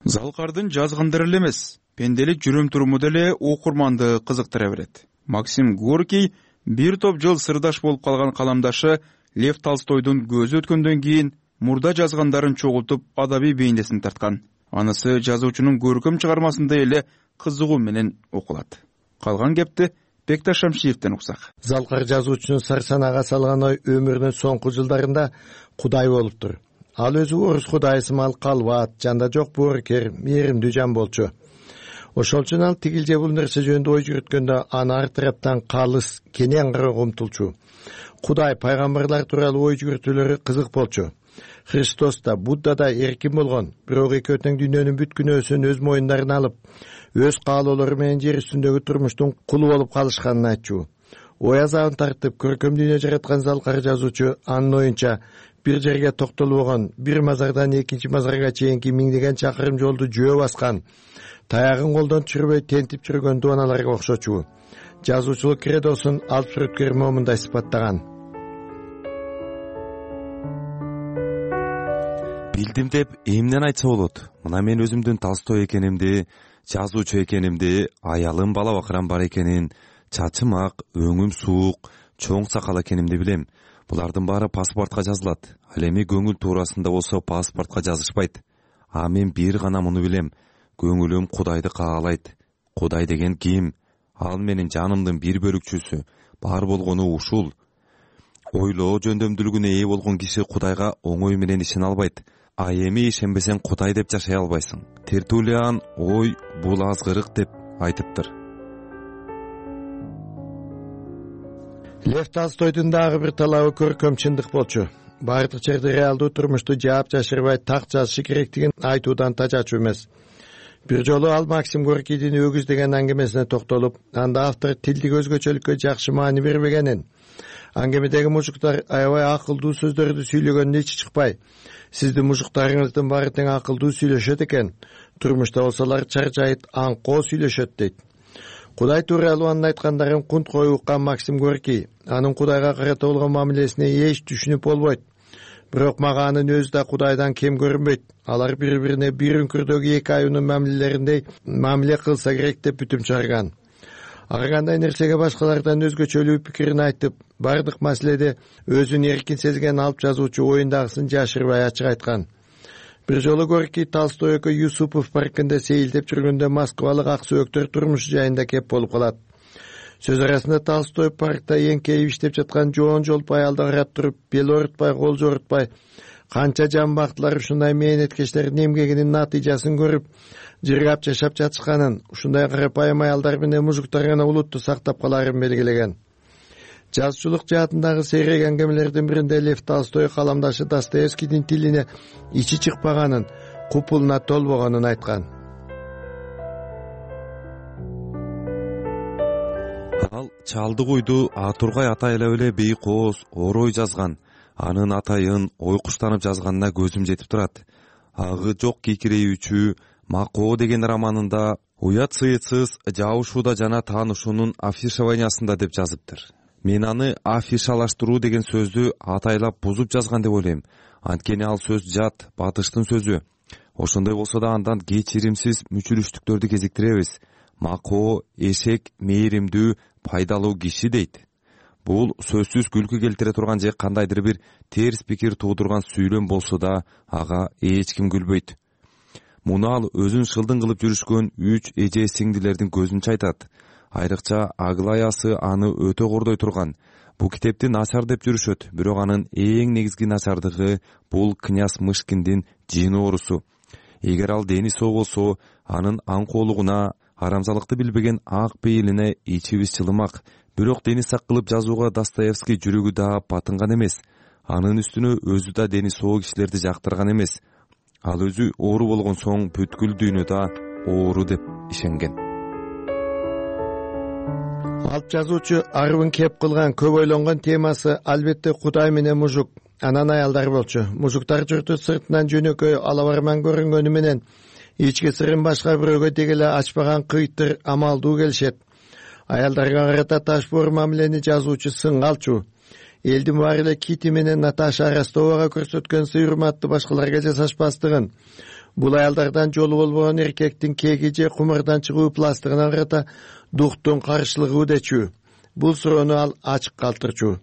Залкардын жазгандары эле эмес, пенделик жүрүм-туруму деле окурманды кызыктыра берет. Максим Горький бир топ жыл сырдаш болуп калган каламдашы Лев Толстойдун көзү өткөндөн кийин мурда жазгандарын чогултуп адабий бейнесин тарткан. Анысы жазуучунун көркөм чыгармасында эле кызыгуу менен окулат. Калган кепти Бекташ Шамшиевден уксак. Залкар жазуучунун сарсанага салган ой өмүрүнүн соңку жылдарында Кудай болуптур. Ал өзү орус кудайы сымал калбат, жанда жок боорукер, мээримдүү жан болчу. Ошол үчүн ал тигил же бул нерсе жөнүндө ой жүрүткөндө аны ар тараптан калыс, кенен кароого умтулчу. Кудай, пайгамбарлар тууралуу ой жүрүтүүлөрү кызык болчу. Христос да, Будда да эркин болгон, бирок экөө тең дүйнөнүн бүт күнөөсүн өз моюндарына алып, өз каалоолору менен жер үстүндөгү турмуштун кулу болуп калышканын айтчу. Ой азабын тартып, көркөм дүйнө жараткан залкар жазуучу анын оюнча бир жерге токтолбогон, бир мазардан экинчи мазарга чейинки миңдеген чакырым жолду жөө баскан, таягын колдон түшүрбөй тентип жүргөн дубаналарга окшочу. Жазуучулук кредосун алып сүрөткөр момундай сыпаттаган. Билдим деп эмнени айтса болот? Мына мен өзүмдүн Толстой экенимди, жазуучу экенимди, аялым бала бакырам бар экенин, чачым ак, өңүм суук, чоң сакал экенимди билем. Булардын баары паспортко жазылат. Ал эми көңүл туурасында болсо паспортко жазышпайт. А мен бир гана муну билем: көңүлүм Кудайды каалайт. Кудай деген ким? Ал менин жанымдын бир бөлүкчүсү. Бар болгону ушул. Ойлоо жөндөмдүүлүгүнө ээ болгон киши Кудайга оңой менен ишене албайт. А эми ишенбесең Кудай деп жашай албайсың. Тертулиан ой бул азгырык деп айтыптыр. Лев Толстойдун дагы бир талабы көркөм чындык болчу. Бардык жерде реалдуу турмушту жаап жашырбай так жазышы керектигин айтуудан тажачу эмес. Бир жолу ал Максим Горкийдин өгүз деген аңгемесине токтолуп, анда автор тилдик өзгөчөлүккө жакшы маани бербегенин, аңгемедеги мужуктар аябай акылдуу сөздөрдү сүйлөгөнүнө ичи чыкпай, сиздин мужуктарыңыздын баары тең акылдуу сүйлөшөт экен, турмушта болсолор чаржайыт, аңкоо сүйлөшөт дейт. Кудай тууралуу анын айткандарын кунт коюп уккан Максим Горкий анын Кудайга карата болгон мамилесине эч түшүнүп болбойт. Бирок мага анын өзү да Кудайдан кем көрүнбөйт. Алар бири-бирине бир үңкүрдөгү эки аюунун мамилелериндей мамиле кылса керек деп бүтүм чыгарган. Ар кандай нерсеге башкалардан өзгөчөлүү пикирин айтып, бардык маселеде өзүн эркин сезген алып жазуучу оюндагысын жашырбай ачык айткан. Бир жолу Горкий Толстой экөө Юсупов паркында сейилдеп жүргөндө Москвалык ак сөөктөр турмушу жайында кеп болуп калат. Сөз арасында Толстой паркта эңкейип иштеп жаткан жоон жолп аялды карап туруп, бел оорутпай, кол жоорутпай, канча жамбактылар ушундай мээнеткечтердин эмгегинин натыйжасын көрүп, жыргап жашап жатышканын, ушундай карапайым аялдар менен мужуктар гана улутту сактап каларын белгилеген. Жазуучулук жаатындагы сейрек аңгемелердин биринде Лев Толстой каламдашы Достоевскийдин тилине ичи чыкпаганын, купулуна толбогонун айткан. Ал чалды куйду Атургай атайлап эле бейик ооз орой жазган. Анын атайын ойкуштанып жазганына көзүм жетип турат. Агы жок кийкирейүүчү Макоо деген романында уят сыйытсыз жабышууда жана таанышуунун афишованиясында деп жазыптыр. Мен аны афишалаштыруу деген сөздү атайлап бузуп жазган деп ойлойм. Анткени ал сөз жат, батыштын сөзү. Ошондой болсо да андан кечиримсиз мүчүрүштүктөрдү кезиктиребиз. Макоо эшек мээримдүү, пайдалуу киши дейт. Бул сөзсүз күлкү келтире турган же кандайдыр бир терс пикир туудурган сүйлөм болсо да ага эч ким күлбөйт. Муну ал өзүн шылдың кылып жүрүшкөн үч эже сиңдилердин көзүнчө айтат. Айрыкча Аглаясы аны өтө кордой турган. Бул китепти начар деп жүрүшөт, бирок анын эң негизги начардыгы бул князь Мышкиндин жин оорусу. Эгер ал дени соо болсо, анын аңкоолугуна, арамзалыкты билбеген ак пейилине ичибиз жылымак. Бирок дени сак кылып жазууга Достоевский жүрөгү да батынган эмес. Анын үстүнө өзү да дени соо кишилерди жактырган эмес. Ал өзү оору болгон соң бүткүл дүйнө да оору деп ишенген. Алып жазуучу арыбын кеп кылган көп ойлонгон темасы албетте Кудай менен мужук, анан аялдар болчу. Мужуктар журту сыртынан жөнөкөй алабарман көрүнгөнү менен ички сырын башка бирөөгө деги эле ачпаган кыйттыр, амалдуу келишет. Аялдарга карата ташбоор мамилени жазуучу сынга алчу. Элдин баары эле Кити менен Наташа Ростовага көрсөткөн сый-урматты башкаларга жасашпастыгын, бул аялдардан жолу болбогон эркектин кеги же кумардан чыгуу пластыгына карата дуктун каршылыгы дечү. Бул суроону ал ачык калтырчу.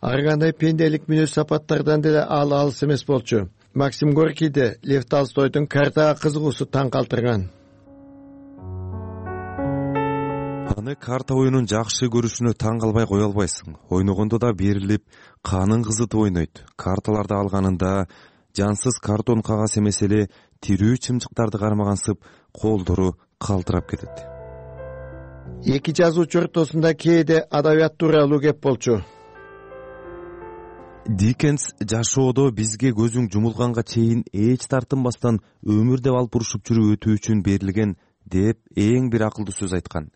Ар кандай пенделик мүнөз сапаттардан деле ал алыс эмес болчу. Максим Горкийде Лев Толстойдун картага кызыгуусу таң калтырган. Аны карта оюнун жакшы көрүшүнө таң калбай кое албайсың. Ойногондо да берилип, канын кызытып ойнойт. Карталарды алганында жансыз картон кагаз эмес эле тирүү чымчыктарды кармагансып, колдору калтырап кетет. Эки жазуучу ортосунда кээде адабият тууралуу кеп болчу. Диккенс жашоодо бизге көзүң жумулганга чейин эч тартынбастан өмүр деп алып урушуп жүрүп өтүү үчүн берилген деп эң бир акылдуу сөз айткан.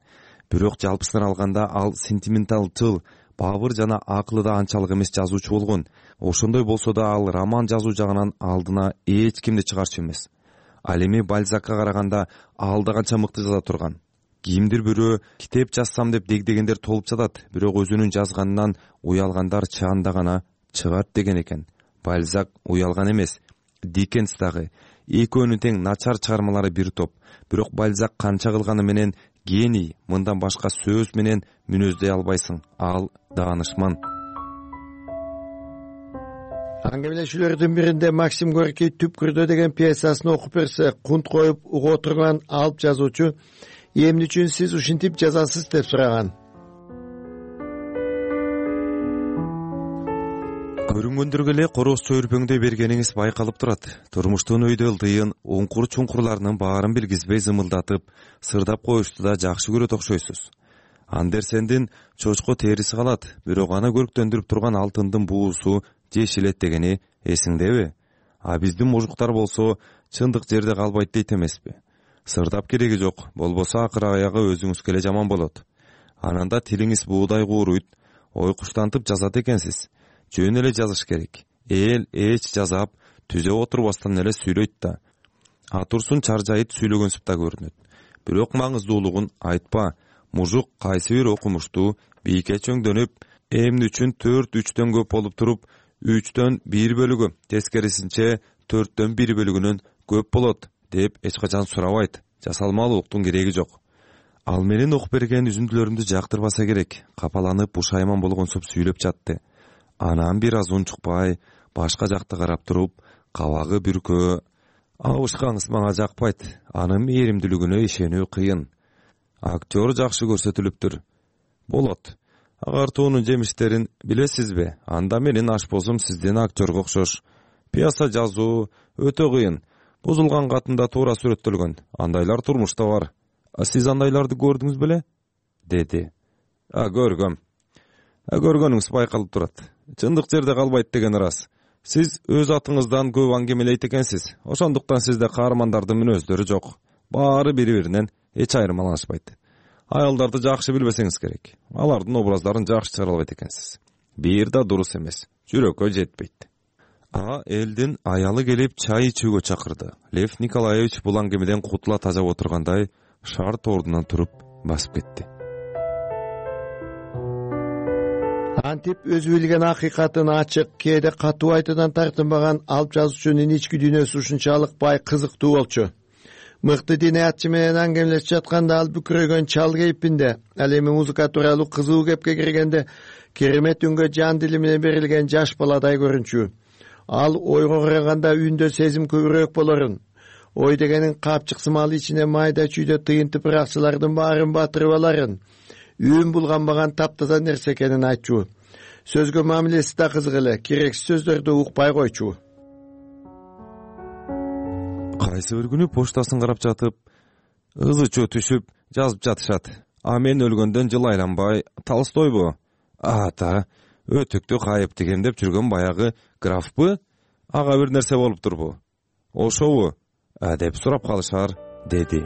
Бирок жалпысынан алганда ал сентименталчыл, бабыр жана акылы да анчалык эмес жазуучу болгон. Ошондой болсо да ал роман жазуу жагынан алдына эч кимди чыгарчу эмес. Ал эми Бальзакка караганда ал да канча мыкты жаза турган. Кимдир бирөө китеп жазсам деп дегдегендер толуп жатат, бирок өзүнүн жазганынан уялгандар чаанда гана чыгат деген экен. Бальзак уялган эмес. Диккенс дагы. Экөөнүн тең начар чыгармалары бир топ. Бирок Бальзак канча кылганы менен гений, мындан башка сөз менен мүнөздөй албайсың. Ал даанышман. Аңгемелешүүлөрдүн биринде Максим Горький Түпкүрдө деген пьесасын окуп берсе, кунт коюп уга отурган алып жазуучу эмне үчүн сиз ушинтип жазасыз деп сураган. Көрүнгөндөргө эле короз чөйрпөңдөй бергениңиз байкалып турат. Турмуштун өйдө ылдыйын, уңкур чуңкурларынын баарын билгизбей зымылдатып, сырдап коюшту да жакшы көрөт окшойсуз. Андерсендин чочко териси калат, бирок аны көрктөндүрүп турган алтындын буусу жешилет дегени эсиңдеби? А биздин мужуктар болсо чындык жерде калбайт дейт эмеспи? Сырдап кереги жок, болбосо акыр аягы өзүңүзгө эле жаман болот. Ананда тилиңиз буудай кууруйт, ой куштантып жазат экенсиз. Жөн эле жазыш керек. Эл эч жазап, түзө отурбастан эле сүйлөйт да. Атурсун чаржайып сүйлөгөнсүп да көрүнөт. Бирок маңыздуулугун айтпа. Мужук кайсы бир окумуштуу бийикке чөңдөнүп, эмне үчүн төрт үчтөн көп болуп туруп, үчтөн бир бөлүгү, тескерисинче төрттөн бир бөлүгүнөн көп болот деп эч качан сурабайт. Жасалмалуулуктун кереги жок. Ал менин окуп берген үзүндүлөрүмдү жактырбаса керек. Капаланып, бушайман болгонсуп сүйлөп жатты. Анан бир аз унчукпай, башка жакта карап туруп, кабагы бүркөө. Абышкаңыз мага жакпайт. Анын мээримдүүлүгүнө ишенүү кыйын. Актер жакшы көрсөтүлүптүр. Болот. Агартуунун жемиштерин билесизби? Анда менин ашпозум сиздин актерге окшош. Пьеса жазуу өтө кыйын. Бузулган катында туура сүрөттөлгөн. Андайлар турмушта бар. А сиз андайларды көрдүңүз беле? Деди. А көргөм. А көргөнүңүз байкалып турат. Чындык жерде калбайт деген ырас. Сиз өз атыңыздан көп аңгемелейт экенсиз. Ошондуктан сизде каармандардын мүнөздөрү жок. Баары бири-биринен эч айырмаланышпайт. Аялдарды жакшы билбесеңиз керек. Алардын образдарын жакшы чыгара албайт экенсиз. Бир да дурус эмес. Жүрөккө жетпейт. А элдин аялы келип чай ичүүгө чакырды. Лев Николаевич бул аңгемеден кутула тажап отургандай шарт ордунан туруп басып кетти. Антип өзү билген акыйкатын ачык, кээде катуу айтуудан тартынбаган алып жазуучунун ички дүйнөсү ушунчалык бай, кызыктуу болчу. Мыкты диниятчы менен аңгемелешип жатканда ал бүкүрөгөн чал кейпинде, ал эми музыка тууралуу кызуу кепке киргенде керемет үнгө жан дили менен берилген жаш баладай көрүнчү. Ал ойго караганда үндө сезим көбүрөөк болорун. Ой дегенин капчыксымал ичине майда чүйдө тыйынтып ыракчылардын баарын батырып аларын, үн булганбаган таптаза нерсе экенин айтчу. Сөзгө мамилеси да кызык эле, керексиз сөздөрдү укпай койчу. Кайсы бир күнү поштасын карап жатып, ызычуу түшүп жазып жатышат. А мен өлгөндөн жыл айланбай, Толстойбу? Ата, өтүктү кайып дегендеп жүргөн баягы графпы? Ага бир нерсе болуп турбу? Ошобу? А деп сурап калышар, деди.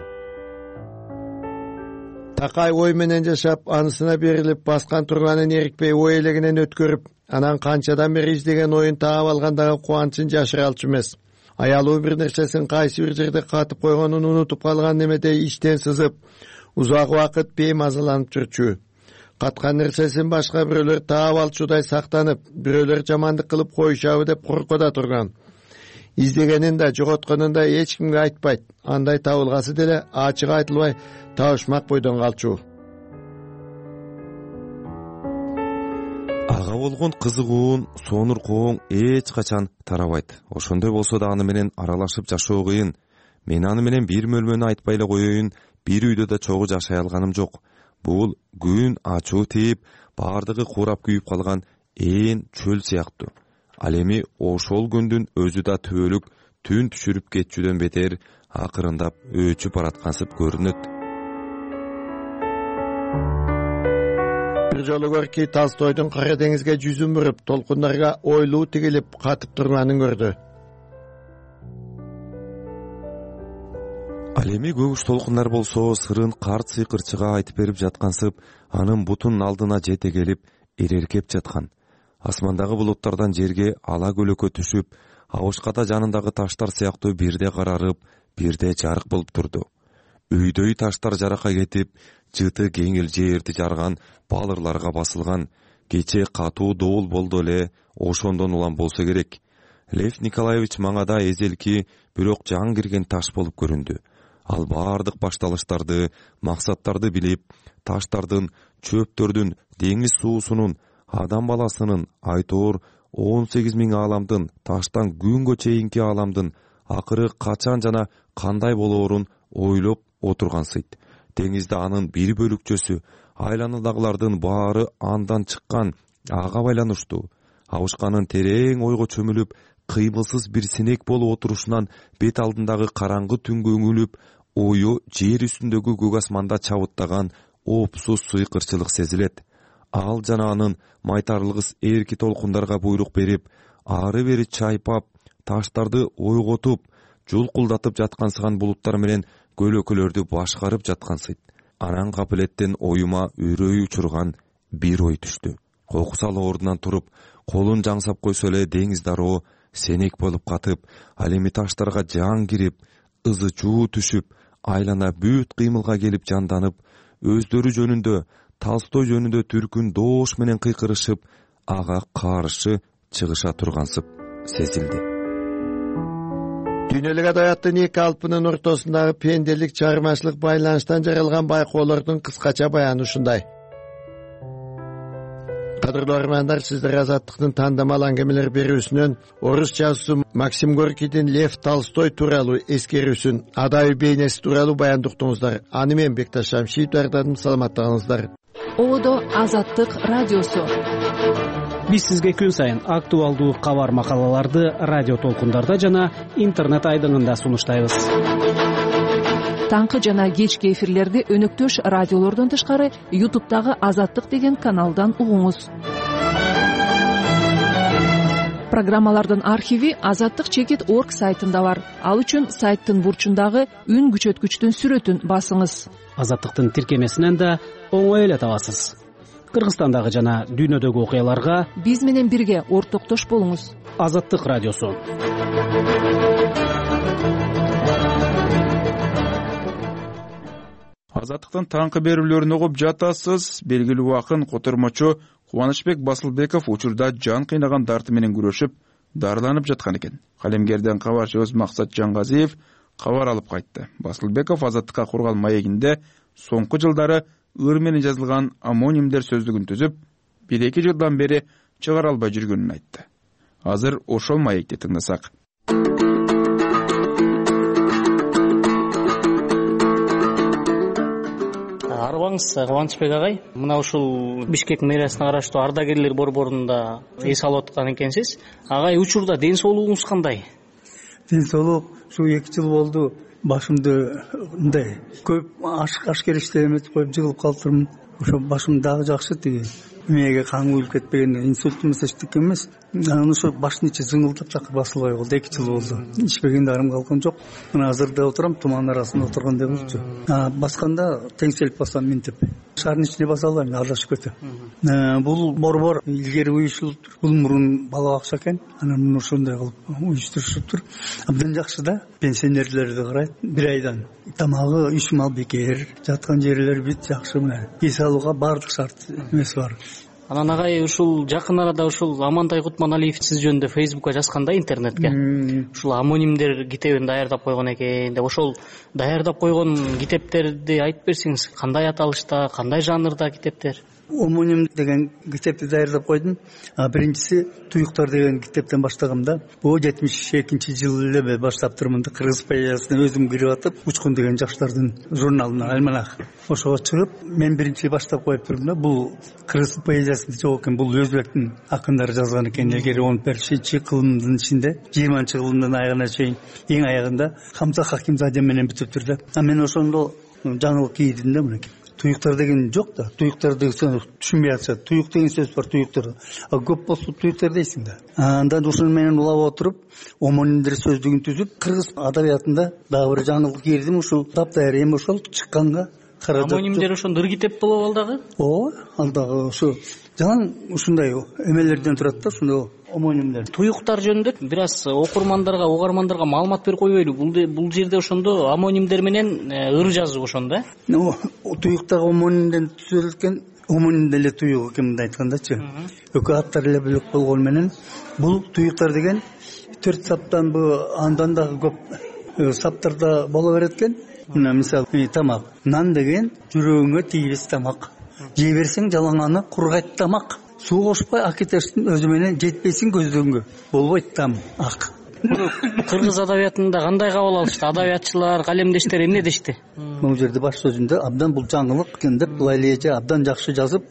Такай ой менен жашап, анысына берилип, баскан турганын эрикпей ой элегинен өткөрүп, анан канчадан бери издеген оюн таап алгандагы кубанычын жашыра алчу эмес. Аялуу бир нерсесин кайсы бир жерде катып койгонун унутуп калган немедей иштен сызып, узак убакыт беймазаланып жүрчү. Каткан нерсесин башка бирөөлөр таап алчудай сактанып, бирөөлөр жамандык кылып коюшабы деп коркода турган. Издегенин да, жоготконун да эч кимге айтпайт. Андай табылгасы деле ачык айтылбай табышмак бойдон калчу. Ага болгон кызыгуун, сонуркооң эч качан тарабайт. Ошондой болсо да аны менен аралашып жашоо кыйын. Мен аны менен бир мөлмөнү айтпай эле коеюн, бир үйдө да чогуу жашай алганым жок. Бул күн ачуу тийип, баардыгы курап күйүп калган ээн чөл сыяктуу. Ал эми ошол күндүн өзү да түбөлүк түн түшүрүп кетчүдөн бетер акырындап өчүп бараткансып көрүнөт. Бир жолу Горький Толстойдун Кара деңизге жүзүн буруп, толкундарга ойлуу тигилип катып турганын көрдү. Ал эми көгүш толкундар болсо сырын карт сыйкырчыга айтып берип жаткансып, анын бутунун алдына жете келип, эреркеп жаткан. Асмандагы булуттардан жерге ала көлөкө түшүп, абышката жанындагы таштар сыяктуу бирде карарып, бирде жарык болуп турду. Үйдөй таштар жарака кетип, жыты кеңил жерди жарган балырларга басылган. Кече катуу доол болду эле, ошондон улам болсо керек. Лев Николаевич маңада эзелки, бирок жан кирген таш болуп көрүндү. Ал баардык башталыштарды, максаттарды билип, таштардын, чөптөрдүн, деңиз суусунун, адам баласынын айтоор он сегиз миң ааламдын таштан күнгө чейинки ааламдын акыры качан жана кандай болоорун ойлоп отургансыйт. Деңизде анын бир бөлүкчөсү, айланадагылардын баары андан чыккан, ага байланыштуу. Абышканын терең ойго чөмүлүп, кыймылсыз бир синек болуп отурушунан бет алдындагы караңгы түнгө үңүлүп, ою жер үстүндөгү көк асманда чабыттаган оопсуз сыйкырчылык сезилет. Ал жана анын майтарлыгыс эрки толкундарга буйрук берип, ары бери чайпап, таштарды ойготуп, жулкулдатып жаткансыган булуттар менен көлөкөлөрдү башкарып жаткансыйт. Анан капилеттен оюма үрөй учурган бир ой түштү. Кокусал ордунан туруп, колун жаңсап койсо эле деңиз дароо сенек болуп катып, ал эми таштарга жан кирип, ызы чуу түшүп, айлана бүт кыймылга келип жанданып, өздөрү жөнүндө, Толстой жөнүндө түркүн доош менен кыйкырышып, ага каршы чыгыша тургансып сезилди. Дүйнөлүк адабияттын эки алпынын ортосундагы пенделик чыгармачылык байланыштан жаралган байкоолордун кыскача баяны ушундай. Кадырлуу армандар, сиздер Азаттыктын тандамал аңгемелер берүүсүнөн орус жазуусу Максим Горкийдин Лев Толстой тууралуу эскерүүсүн, адабий бейнеси тууралуу баянды уктуңуздар. Аны мен Бекташ Шамшиев даярдадым. Саламаттыгыңыздар. Ободо Азаттык радиосу. Биз сизге күн сайын актуалдуу кабар макалаларды радио толкундарда жана интернет айдыңында сунуштайбыз. Таңкы жана кечки эфирлерди өнөктөш радиолордон тышкары ютубтагы Азаттык деген каналдан угуңуз. Программалардын архиви азаттык чекит точка орг сайтында бар. Ал үчүн сайттын бурчундагы үн күчөткүчтүн сүрөтүн басыңыз. Азаттыктын тиркемесинен да оңой эле табасыз. Кыргызстандагы жана дүйнөдөгү окуяларга биз менен бирге ортоктош болуңуз. Азаттык радиосу. Азаттыктын таңкы берүүлөрүн угуп жатасыз. Белгилүү акын, котормочу Кубанычбек Басылбеков учурда жан кыйнаган дарты менен күрөшүп, дарыланып жаткан экен. Калемгерден кабарчыбыз Максат Жаңгазиев кабар алып кайтты. Басылбеков Азаттыкка курган маегинде соңку жылдары ыр менен жазылган амонимдер сөздүгүн түзүп, бир эки жылдан бери чыгара албай жүргөнүн айтты. Азыр ошол маекти тыңдасак. Арыбаңыз, Кубанычбек агай, мына ушул Бишкек мэриясына караштуу ардагерлер борборунда эс алып аткан экенсиз. Агай, учурда ден соолугуңуз кандай? Ден соолук ушу эки жыл болду. Башымды мындай көп ашкер иштеп эметип коюп жыгылып калыптырмын. Ошо башым дагы жакшы, тиги мээге кан куюлуп кетпеген, инсульт эмес эчтеке эмес. Анан ошо баштын ичи зыңылдап такыр басылбай калды. эки жыл болду. Ичпеген дарым калган жок. Мына азырда отурам, туман арасында отургандай болчу. А басканда теңселип басам минтип. Шаардын ичине баса албайм, аралашып кетем. Бул борбор илгери уюштурулуптур. Бул мурун бала бакча экен. Анан ошондой кылып уюштурушуптур. Абдан жакшы да. Пенсионерлерди карайт. Бир айдан тамагы үч мал бекер, жаткан жерлер бит жакшы. Мына эс алууга баардык шарт эмес бар. Анан агай, ушул жакын арада ушул Амантай Кутманалиев сиз жөнүндө Фейсбукка жазганда интернетке. Ушул амонимдер китебин даярдап койгон экен деп, ошол даярдап койгон китептерди айтып берсеңиз, кандай аталышта, кандай жанрда китептер? Омоним деген китепти даярдап койдум. Биринчиси Туюктар деген китептен баштагам да. Бул жетимиш экинчи жылы эле баштаптырмын да. Кыргыз поэзиясына өзүм кирип атып, Учкун деген жаштардын журналына, альманах. Ошого чыгып, мен биринчи баштап коюп турдум да. Бул кыргыз поэзиясында жок экен, бул өзбектин акындары жазган экен. Илгери он бешинчи кылымдын ичинде, жыйырманчы кылымдын аягына чейин, эң аягында Хамза Хакимзаде менен бүтүптүр да. А мен ошондо жаңылык кийдим да мынакей. Туюктар деген жок да. Туюктар деген түшүнбөй атышат. Туюк деген сөз бар туюктар. А көп болсо туюктар дейсиң да. Андан ошону менен улап отуруп, омонимдер сөздүгүн түзүп, кыргыз адабиятында дагы бир жаңылык кирдим. Ушул таптайыр эми ошол чыкканга каражат. Амонимдер ошондо ыр китеп болуп ал дагы? Ооба, ал дагы ошо жалаң ушундай эмелерден турат да, ошондо омонимдер. Туюктар жөнүндө бир аз окурмандарга, угармандарга маалымат берип койбойлу. Бул бул жерде ошондо амонимдер менен ыр жазуу ошондо, э? Туюктагы омонимден түзүлгөн омоним деле туюк экен мындай айткандачы. Экөө аттар эле бөлөк болгон менен бул туюктар деген төрт саптан бу андан дагы көп саптарда боло берет экен. Мына мисалы тамак. Нан деген жүрөгүңө тийбес тамак. Жей берсең жалаңаны кургайт тамак. суу кошпой акетештин өзү менен жетпесин көздөгөнгө болбойт там ак. Кыргыз адабиятында кандай кабыл алышты? Адабиятчылар, калемдештер эмне дешти? Бул жерде баш сөзүндө абдан бул жаңылык экен деп, былай эле эже абдан жакшы жазып,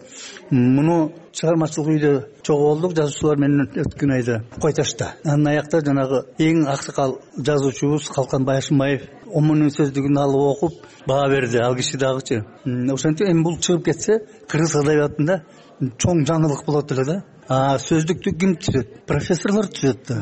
муну чыгармачылык үйдө чогуу болдук жазуучулар менен өткөн айда Койташта. Анын аякта жанагы эң аксакал жазуучубуз Калканбай Ашымбаев омунун сөздүгүн алып окуп баа берди. Ал киши дагычы. Ошентип эми бул чыгып кетсе, кыргыз адабиятында чоң жаңылык болот эле да. А сөздүктү ким түзөт? Профессорлор түзөт да.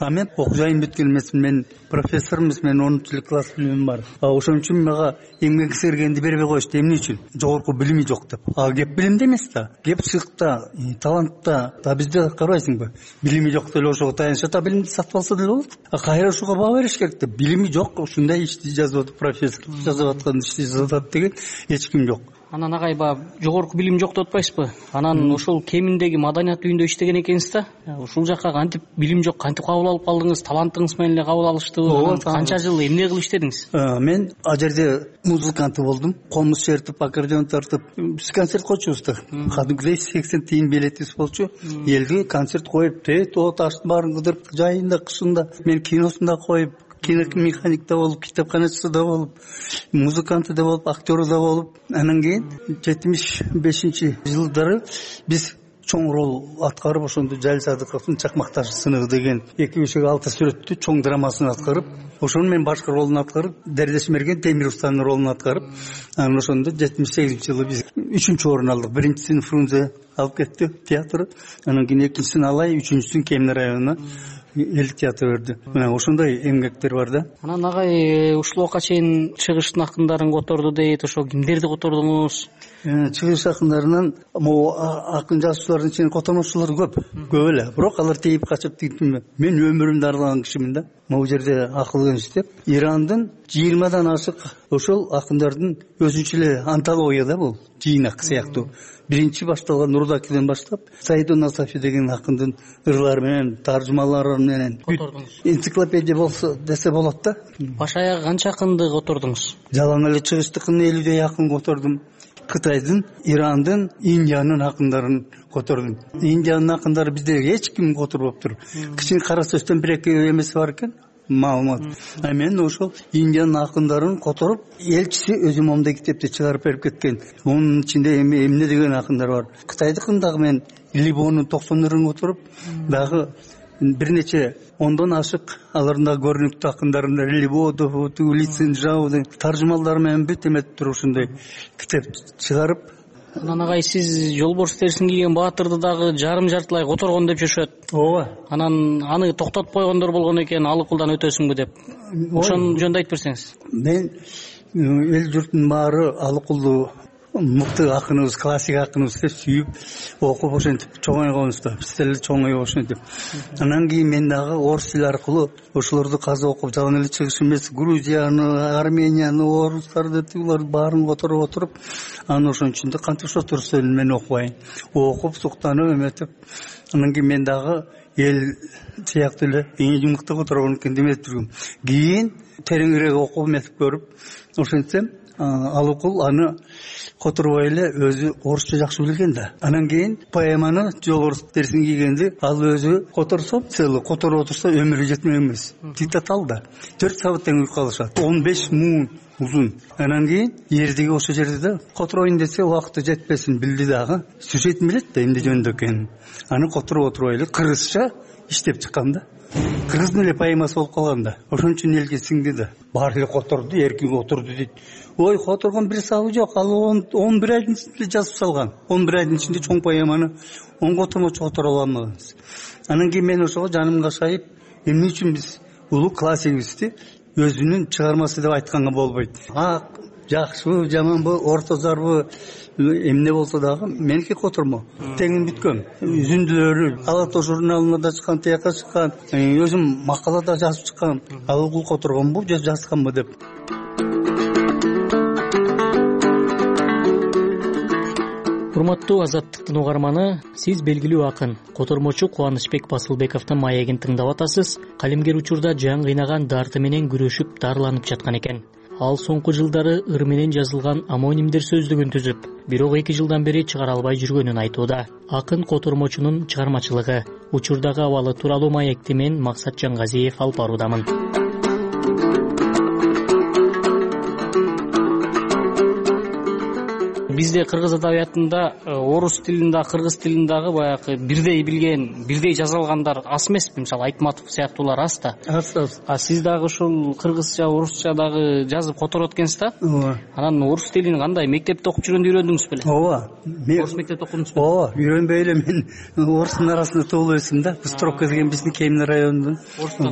А мен окуяйын бүткөн эмесмин, мен профессор эмес, мен онунчу класс билимим бар. А ошон үчүн мага эмгек сергенди бербей коюшту. Эмне үчүн? Жогорку билими жок деп. А кеп билимде эмес да. Кеп сыйкта, талантта. Да бизде карабайсыңбы? Билими жок деле ошого таянышат, а билимди сатып алса деле болот. А кайра ошого баа бериш керек да. Билими жок, ушундай ишти жазып атып, профессор жазып аткан ишти жазып атат деген эч ким жок. Анан агай баягы жогорку билим жок деп атпайсызбы? Анан ошол кеминдеги маданият үйүндө иштеген экенсиз да. Ушул жакка кантип билим жок, кантип кабыл алып калдыңыз? Талантыңыз менен эле кабыл алыштыбы? Канча жыл эмне кылып иштедиңиз? Мен ал жерде музыкант болдум. Комуз чертип, аккордеон тартып, биз концерт койчубуз да. Кадимгидей сексен тыйын билетибиз болчу. Элге концерт коюп, тет оташтын баарын кыдырып, жайында, кышында, мен киносунда коюп, киномеханикта болуп, китапканачысы да болуп, музыканты да болуп, актеру да болуп, анан кийин жетимиш бешинчи жылдары биз чоң рол аткарып, ошондо Жалил Садыковдун Чакмак ташы сыныгы деген эки бешек алты сүрөттүү чоң драмасын аткарып, ошону мен башкы ролун аткарып, Дердеш Мерген Темир Устанын ролун аткарып, анан ошондо жетимиш сегизинчи жылы биз үчүнчү орун алдык. Биринчисин Фрунзе алып кетти театры, анан кийин экинчисин Алай, үчүнчүсүн Кемин районуна эл театр берди. Мына ошондой эмгектер бар да. Анан агай ушул убакка чейин чыгыштын акындарын которду дейт. Ошо кимдерди котордуңуз? Чыгыш акындарынан могу акын жазуучулардын ичинен котормочулар көп, көп эле. Бирок алар тейип качып тигитме. Мен өмүрүмдү арлаган кишимин да. Могу жерде акыл кеңеш деп, Ирандын жыйырмадан ашык ошол акындардын өзүнчө эле антология да бул, жыйнак сыяктуу. Биринчи башталган Нурдакиден баштап, Саидун Насафи деген акындын ырлары менен, таржымалары менен энциклопедия болсо десе болот да. Баш аягы канча акынды котордуңуз? Жалаң эле чыгыштыкын элүүдөй акын котордум. Кытайдын, Ирандын, Индиянын акындарын котордум. Индиянын акындары бизде эч ким которбоптур. Кичине кара сөздөн бир эки эмеси бар экен. Маалымат. А мен ошол Индиянын акындарын которуп, элчиси өзү момдой китепти чыгарып берип кеткен. Онун ичинде эми эмне деген акындар бар. Кытайдыкын дагы мен Либонун токсон ырын которуп, дагы бир нече ондон ашык алардын да көрүнүктүү акындарын Либодов, Лицин Жау деген таржымалдары менен бүт эметип туруп ушундай китеп чыгарып. Анан агай сиз жолборс терисин кийген баатырды дагы жарым жартылай которгон деп жүрүшөт. Ооба. Анан аны токтотуп койгондор болгон экен, алыкулдан өтөсүңбү деп. Ошон жөнүндө айтып берсеңиз. Мен эл журттун баары алыкулду мыкты акыныбыз, классик акыныбыз деп сүйүп, окуп ошентип чоңойгонбуз да. Биз деле чоңоюп ошентип. Анан кийин мен дагы орус тили аркылуу ошолорду казып окуп, жалаң эле чыгыш эмес, Грузияны, Арменияны, орустарды деп буларды баарын которуп отуруп, анан ошонун ичинде кантип ошо турса мен окубайын. Окуп, суктанып эметип, анан кийин мен дагы эл сыяктуу эле эң мыкты которгон экен деп жүргөм. Кийин тереңирээк окуп эметип көрүп, ошентсем Алыкул аны которбой эле өзү орусча жакшы билген да. Анан кийин поэманы жолборс терисин кийгенди ал өзү которсо, целый которуп отурса өмүрү жетмек эмес. Диктатал да. төрт сабат тең уйку алышат. он беш муң узун. Анан кийин эрдиги ошол жерде да котороюн десе убакыты жетпесин билди дагы. Сюжетин билет да эмне жөнүндө экенин. Аны которуп отурбай эле кыргызча иштеп чыккан да. Кыргыздын эле поэмасы болуп калган да. Ошон үчүн элге сиңди да. Баары эле которду, эркин отурду дейт. Ой, которгон бир сабы жок. Ал он бир айдын ичинде жазып салган. он бир айдын ичинде чоң поэманы он котормочу которо алмагансыз. Анан кийин мен ошого жаным кашайып, эмне үчүн биз улуу классигибизди өзүнүн чыгармасы деп айтканга болбойт. Ак, жакшыбы, жаманбы, орто зарбы, эмне болсо дагы меники котормо. Теңин бүткөм. Үзүндүлөрү Ала Тоо журналына да чыккан, тияка чыккан, өзүм макалада жазып чыккан. Алыкул которгонбу, же жазганбы деп. Урматтуу Азаттыктын угарманы, сиз белгилүү акын, котормочу Кубанычбек Басылбековдун маегин тыңдап атасыз. Калемгер учурда жан кыйнаган дарты менен күрөшүп, дарыланып жаткан экен. Ал соңку жылдары ыр менен жазылган амонимдер сөздүгүн түзүп, бирок эки жылдан бери чыгара албай жүргөнүн айтууда. Акын котормочунун чыгармачылыгы, учурдагы абалы тууралуу маекти мен Максат Жангазиев алып баруудамын. Бизде кыргыз адабиятында орус тилинде, кыргыз тилиндагы баягы бирдей билген, бирдей жаза алгандар аз эмеспи? Мисалы Айтматов сыяктуулар аз да. Аз аз. А сиз дагы ушул кыргызча, орусча дагы жазып которот экенсиз да? Ооба. Анан орус тилин кандай мектепте окуп жүргөндө үйрөндүңүз беле? Ооба. Орус мектепте окудуңуз беле? Ооба, үйрөнбөй эле мен орустун арасында туулуп өстүм да. Быстровка деген биздин Кемин районунун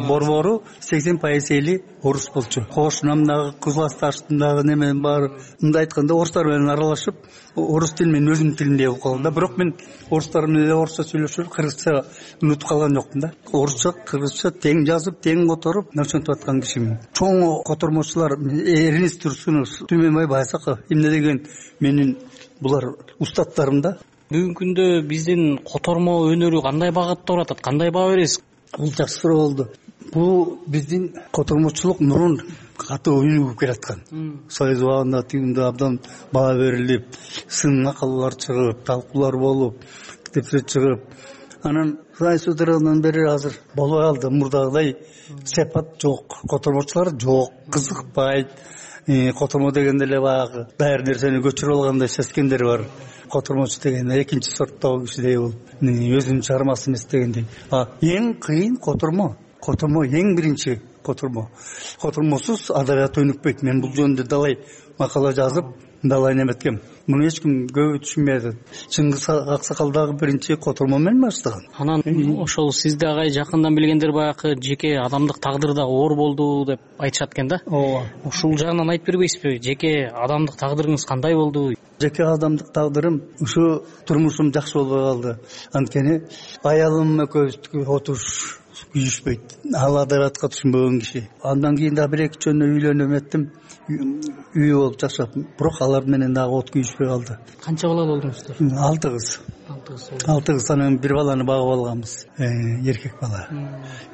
борбору сексен пайыз эли орус болчу. Кошунамдагы, Кызыласташтындагы немен баары, мындай айтканда орустар менен аралашып, орус тили мен өзүмдүн тилимдей болуп калган да. Бирок мен орустар менен эле орусча сүйлөшүп, кыргызча унутуп калган жокмун да. Орусча, кыргызча тең жазып, тең которуп, ошентип аткан кишимин. Чоң котормочулар Эрнис Турсунов, Түмөнбай Байсаков, эмне деген менин булар устаттарым да. Бүгүнкү күндө биздин котормо өнөрү кандай багытта баратат? Кандай баа бересиз? Бул жакшы суроо болду. Бул биздин котормочулук мурун катуу өнүгүп келаткан. Союз убагында тигинде абдан баа берилип, сын макалалар чыгып, талкуулар болуп, китептер чыгып, анан Союз өтөрүнөн бери азыр болбой калды. Мурдагыдай сепат жок, котормочулар жок, кызыкпайт. Котормо дегенде эле баягы даяр нерсени көчүрүп алгандай сезгендер бар. Котормочу деген экинчи сорттогу кишидей болуп, өзүнүн чыгармасы эмес дегендей. А эң кыйын котормо. Котормо эң биринчи котормо. Котормосуз адабият өнүкпөйт. Мен бул жөнүндө далай макала жазып, далай неметкем. Муну эч ким көбү түшүнбөйт. Чыңгыз Аксакал дагы биринчи котормо менен баштаган. Анан ошол сиз дагы жакындан билгендер баягы жеке адамдык тагдыр дагы оор болду деп айтышат экен да. Ооба. Ушул жагынан айтып бербейсизби? Жеке адамдык тагдырыңыз кандай болду? Жеке адамдык тагдырым ушу турмушум жакшы болбой калды. Анткени аялым экөөбүздүкү отуруш күйүшпөйт. Ал адабиятка түшүнбөгөн киши. Андан кийин дагы бир эки жөнү үйлөнүп эттим. Үй болуп жашап, бирок алар менен дагы от күйүшпөй калды. Канча бала болдуңуздар? алты кыз. алты кыз. Анан бир баланы багып алганбыз. Эркек бала.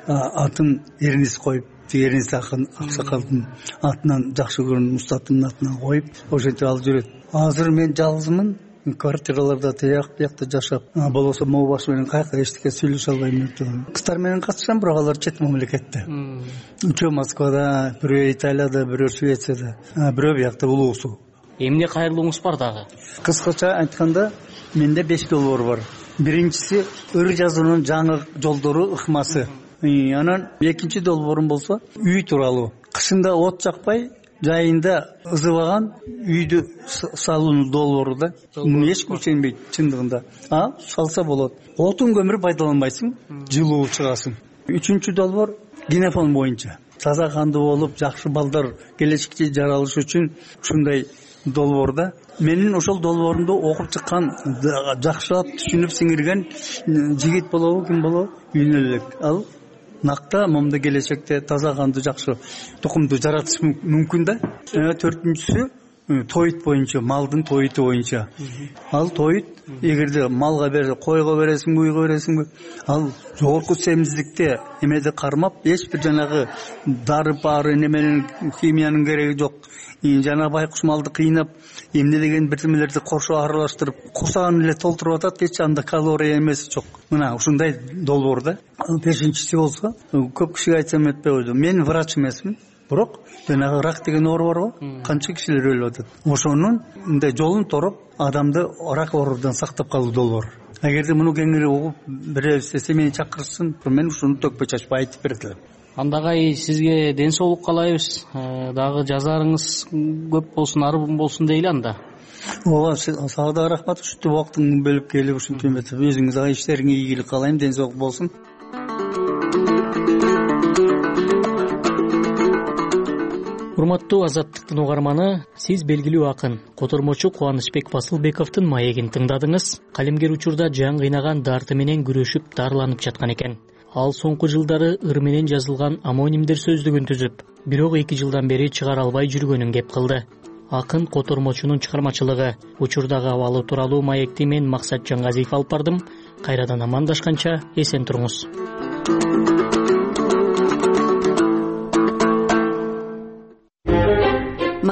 Атын Эрнис коюп, Эрнис Акын Аксакалдын атынан, жакшы көргөн устатымдын атынан коюп, ошентип алып жүрөт. Азыр мен жалгызмын. Квартираларда тияк биякта жашап, болбосо могу баш менен кайка эчтеке сүйлөшө албайм деп жүрөм. Кыздар менен катышам, бирок алар чет мамлекетте. Үчөө Москвада, бирөө Италияда, бирөө Швецияда, бирөө биякта улуусу. Эмне кайрылууңуз бар дагы? Кыскача айтканда, менде беш долбоор бар. Биринчиси ыр жазуунун жаңы жолдору ыкмасы. Анан экинчи долбоорум болсо үй тууралуу. Кышында от жакпай, жайында ызыбаган үйдү салуу долбоору да. Муну эч ким ишенбейт чындыгында. А салса болот. Отун көмүр пайдаланбайсың, жылуу чыгасың. Үчүнчү долбоор генофон боюнча. Таза кандуу болуп, жакшы балдар келечекте жаралыш үчүн ушундай долбоорда. Менин ошол долбоорумду окуп чыккан, жакшылап түшүнүп сиңирген жигит болобу, ким болобу? Үйнө элек. Ал накта момда келечекте таза кандуу жакшы тукумду жаратыш мүмкүн да. Төртүнчүсү тоют боюнча, малдын тоюту боюнча. Ал тоют эгерде малга бер, койго бересиңби, уйго бересиңби, ал жогорку семиздикте эмеде кармап, эч бир жанагы дары баары неменен химиянын кереги жок. Жана байкуш малды кыйнап, эмне деген бирдемелерди кошо аралаштырып, курсагын эле толтуруп атат, эч анда калория эмеси жок. Мына ушундай долбоор да. Бешинчиси болсо, көп кишиге айтсам этпей койду. Мен врач эмесмин, бирок жанагы рак деген оору барбы? Канча кишилер өлүп атат. Ошонун мындай жолун тороп, адамды рак оорудан сактап калуу долбоор. Эгерде муну кеңири угуп беребиз десе, мени чакырышсын, мен ушуну төкпөй чачпай айтып берет элем. Андагай сизге ден соолук каалайбыз. Дагы жазарыңыз көп болсун, арбын болсун дейли анда. Ооба, сага да рахмат. Ушунтип убактыңды бөлүп келип, ушинтип этип, өзүңүз дагы иштериңизге ийгилик каалайм, ден соолук болсун. Урматтуу Азаттыктын угарманы, сиз белгилүү акын, котормочу Кубанычбек Фасылбековдун маегин тыңдадыңыз. Калемгер учурда жан кыйнаган дарты менен күрөшүп, дарыланып жаткан экен. Ал соңку жылдары ыр менен жазылган амонимдер сөздүгүн түзүп, бирок эки жылдан бери чыгара албай жүргөнүн кеп кылды. Акын котормочунун чыгармачылыгы, учурдагы абалы тууралуу маекти мен Максат Жангазиев алып бардым. Кайрадан амандашканча эсен туруңуз.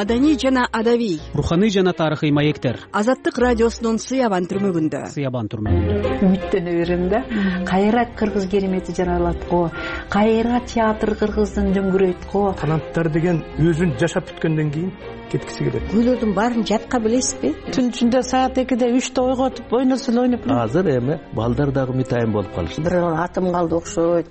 маданий жана адабий, руханий жана тарыхый маектер Азаттык радиосунун Сыябан түрмөгүндө. Сыябан түрмөгүндө үмүттөнө берем да. Кайра кыргыз керемети жаралат го, кайра театр кыргыздын дөңгүрөйт го. Таланттар деген өзүн жашап бүткөндөн кийин кеткиси келет. Күйлөрдүн баарын жатка билесизби? Түн ичинде саат экиде үчтө ойготуп ойносо эле ойноп. Азыр эми балдар дагы мытайын болуп калышты. Бир атым калды окшойт.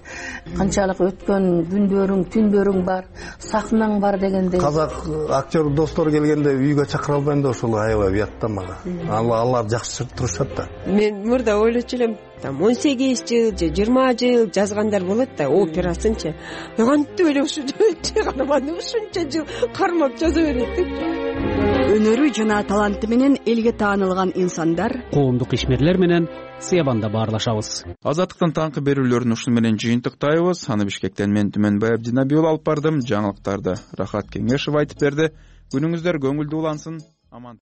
Канчалык өткөн күндөрүң, түндөрүң бар, сахнаң бар дегендей. Казак актер достор келгенде үйгө чакыра албайм да ошол аябай уятта мага. Алар жакшы турушат да. Мен мурда ойлочу элем, там он сегиз жыл же жыйырма жыл жазгандар болот да, операсынчы. Кантип эле ушунча карманды ушунча жыл кармап жаза берет деп. Өнөрү жана таланты менен элге таанылган инсандар, коомдук ишмерлер менен Сыябанда баарлашабыз. Азаттыктын таңкы берүүлөрүн ушуну менен жыйынтыктайбыз. Аны Бишкектен мен Түмөнбай Абдинабий алып бардым. Жаңылыктарды Рахат Кеңешев айтып берди. Күнүңүздөр көңүлдүү улансын. Аман.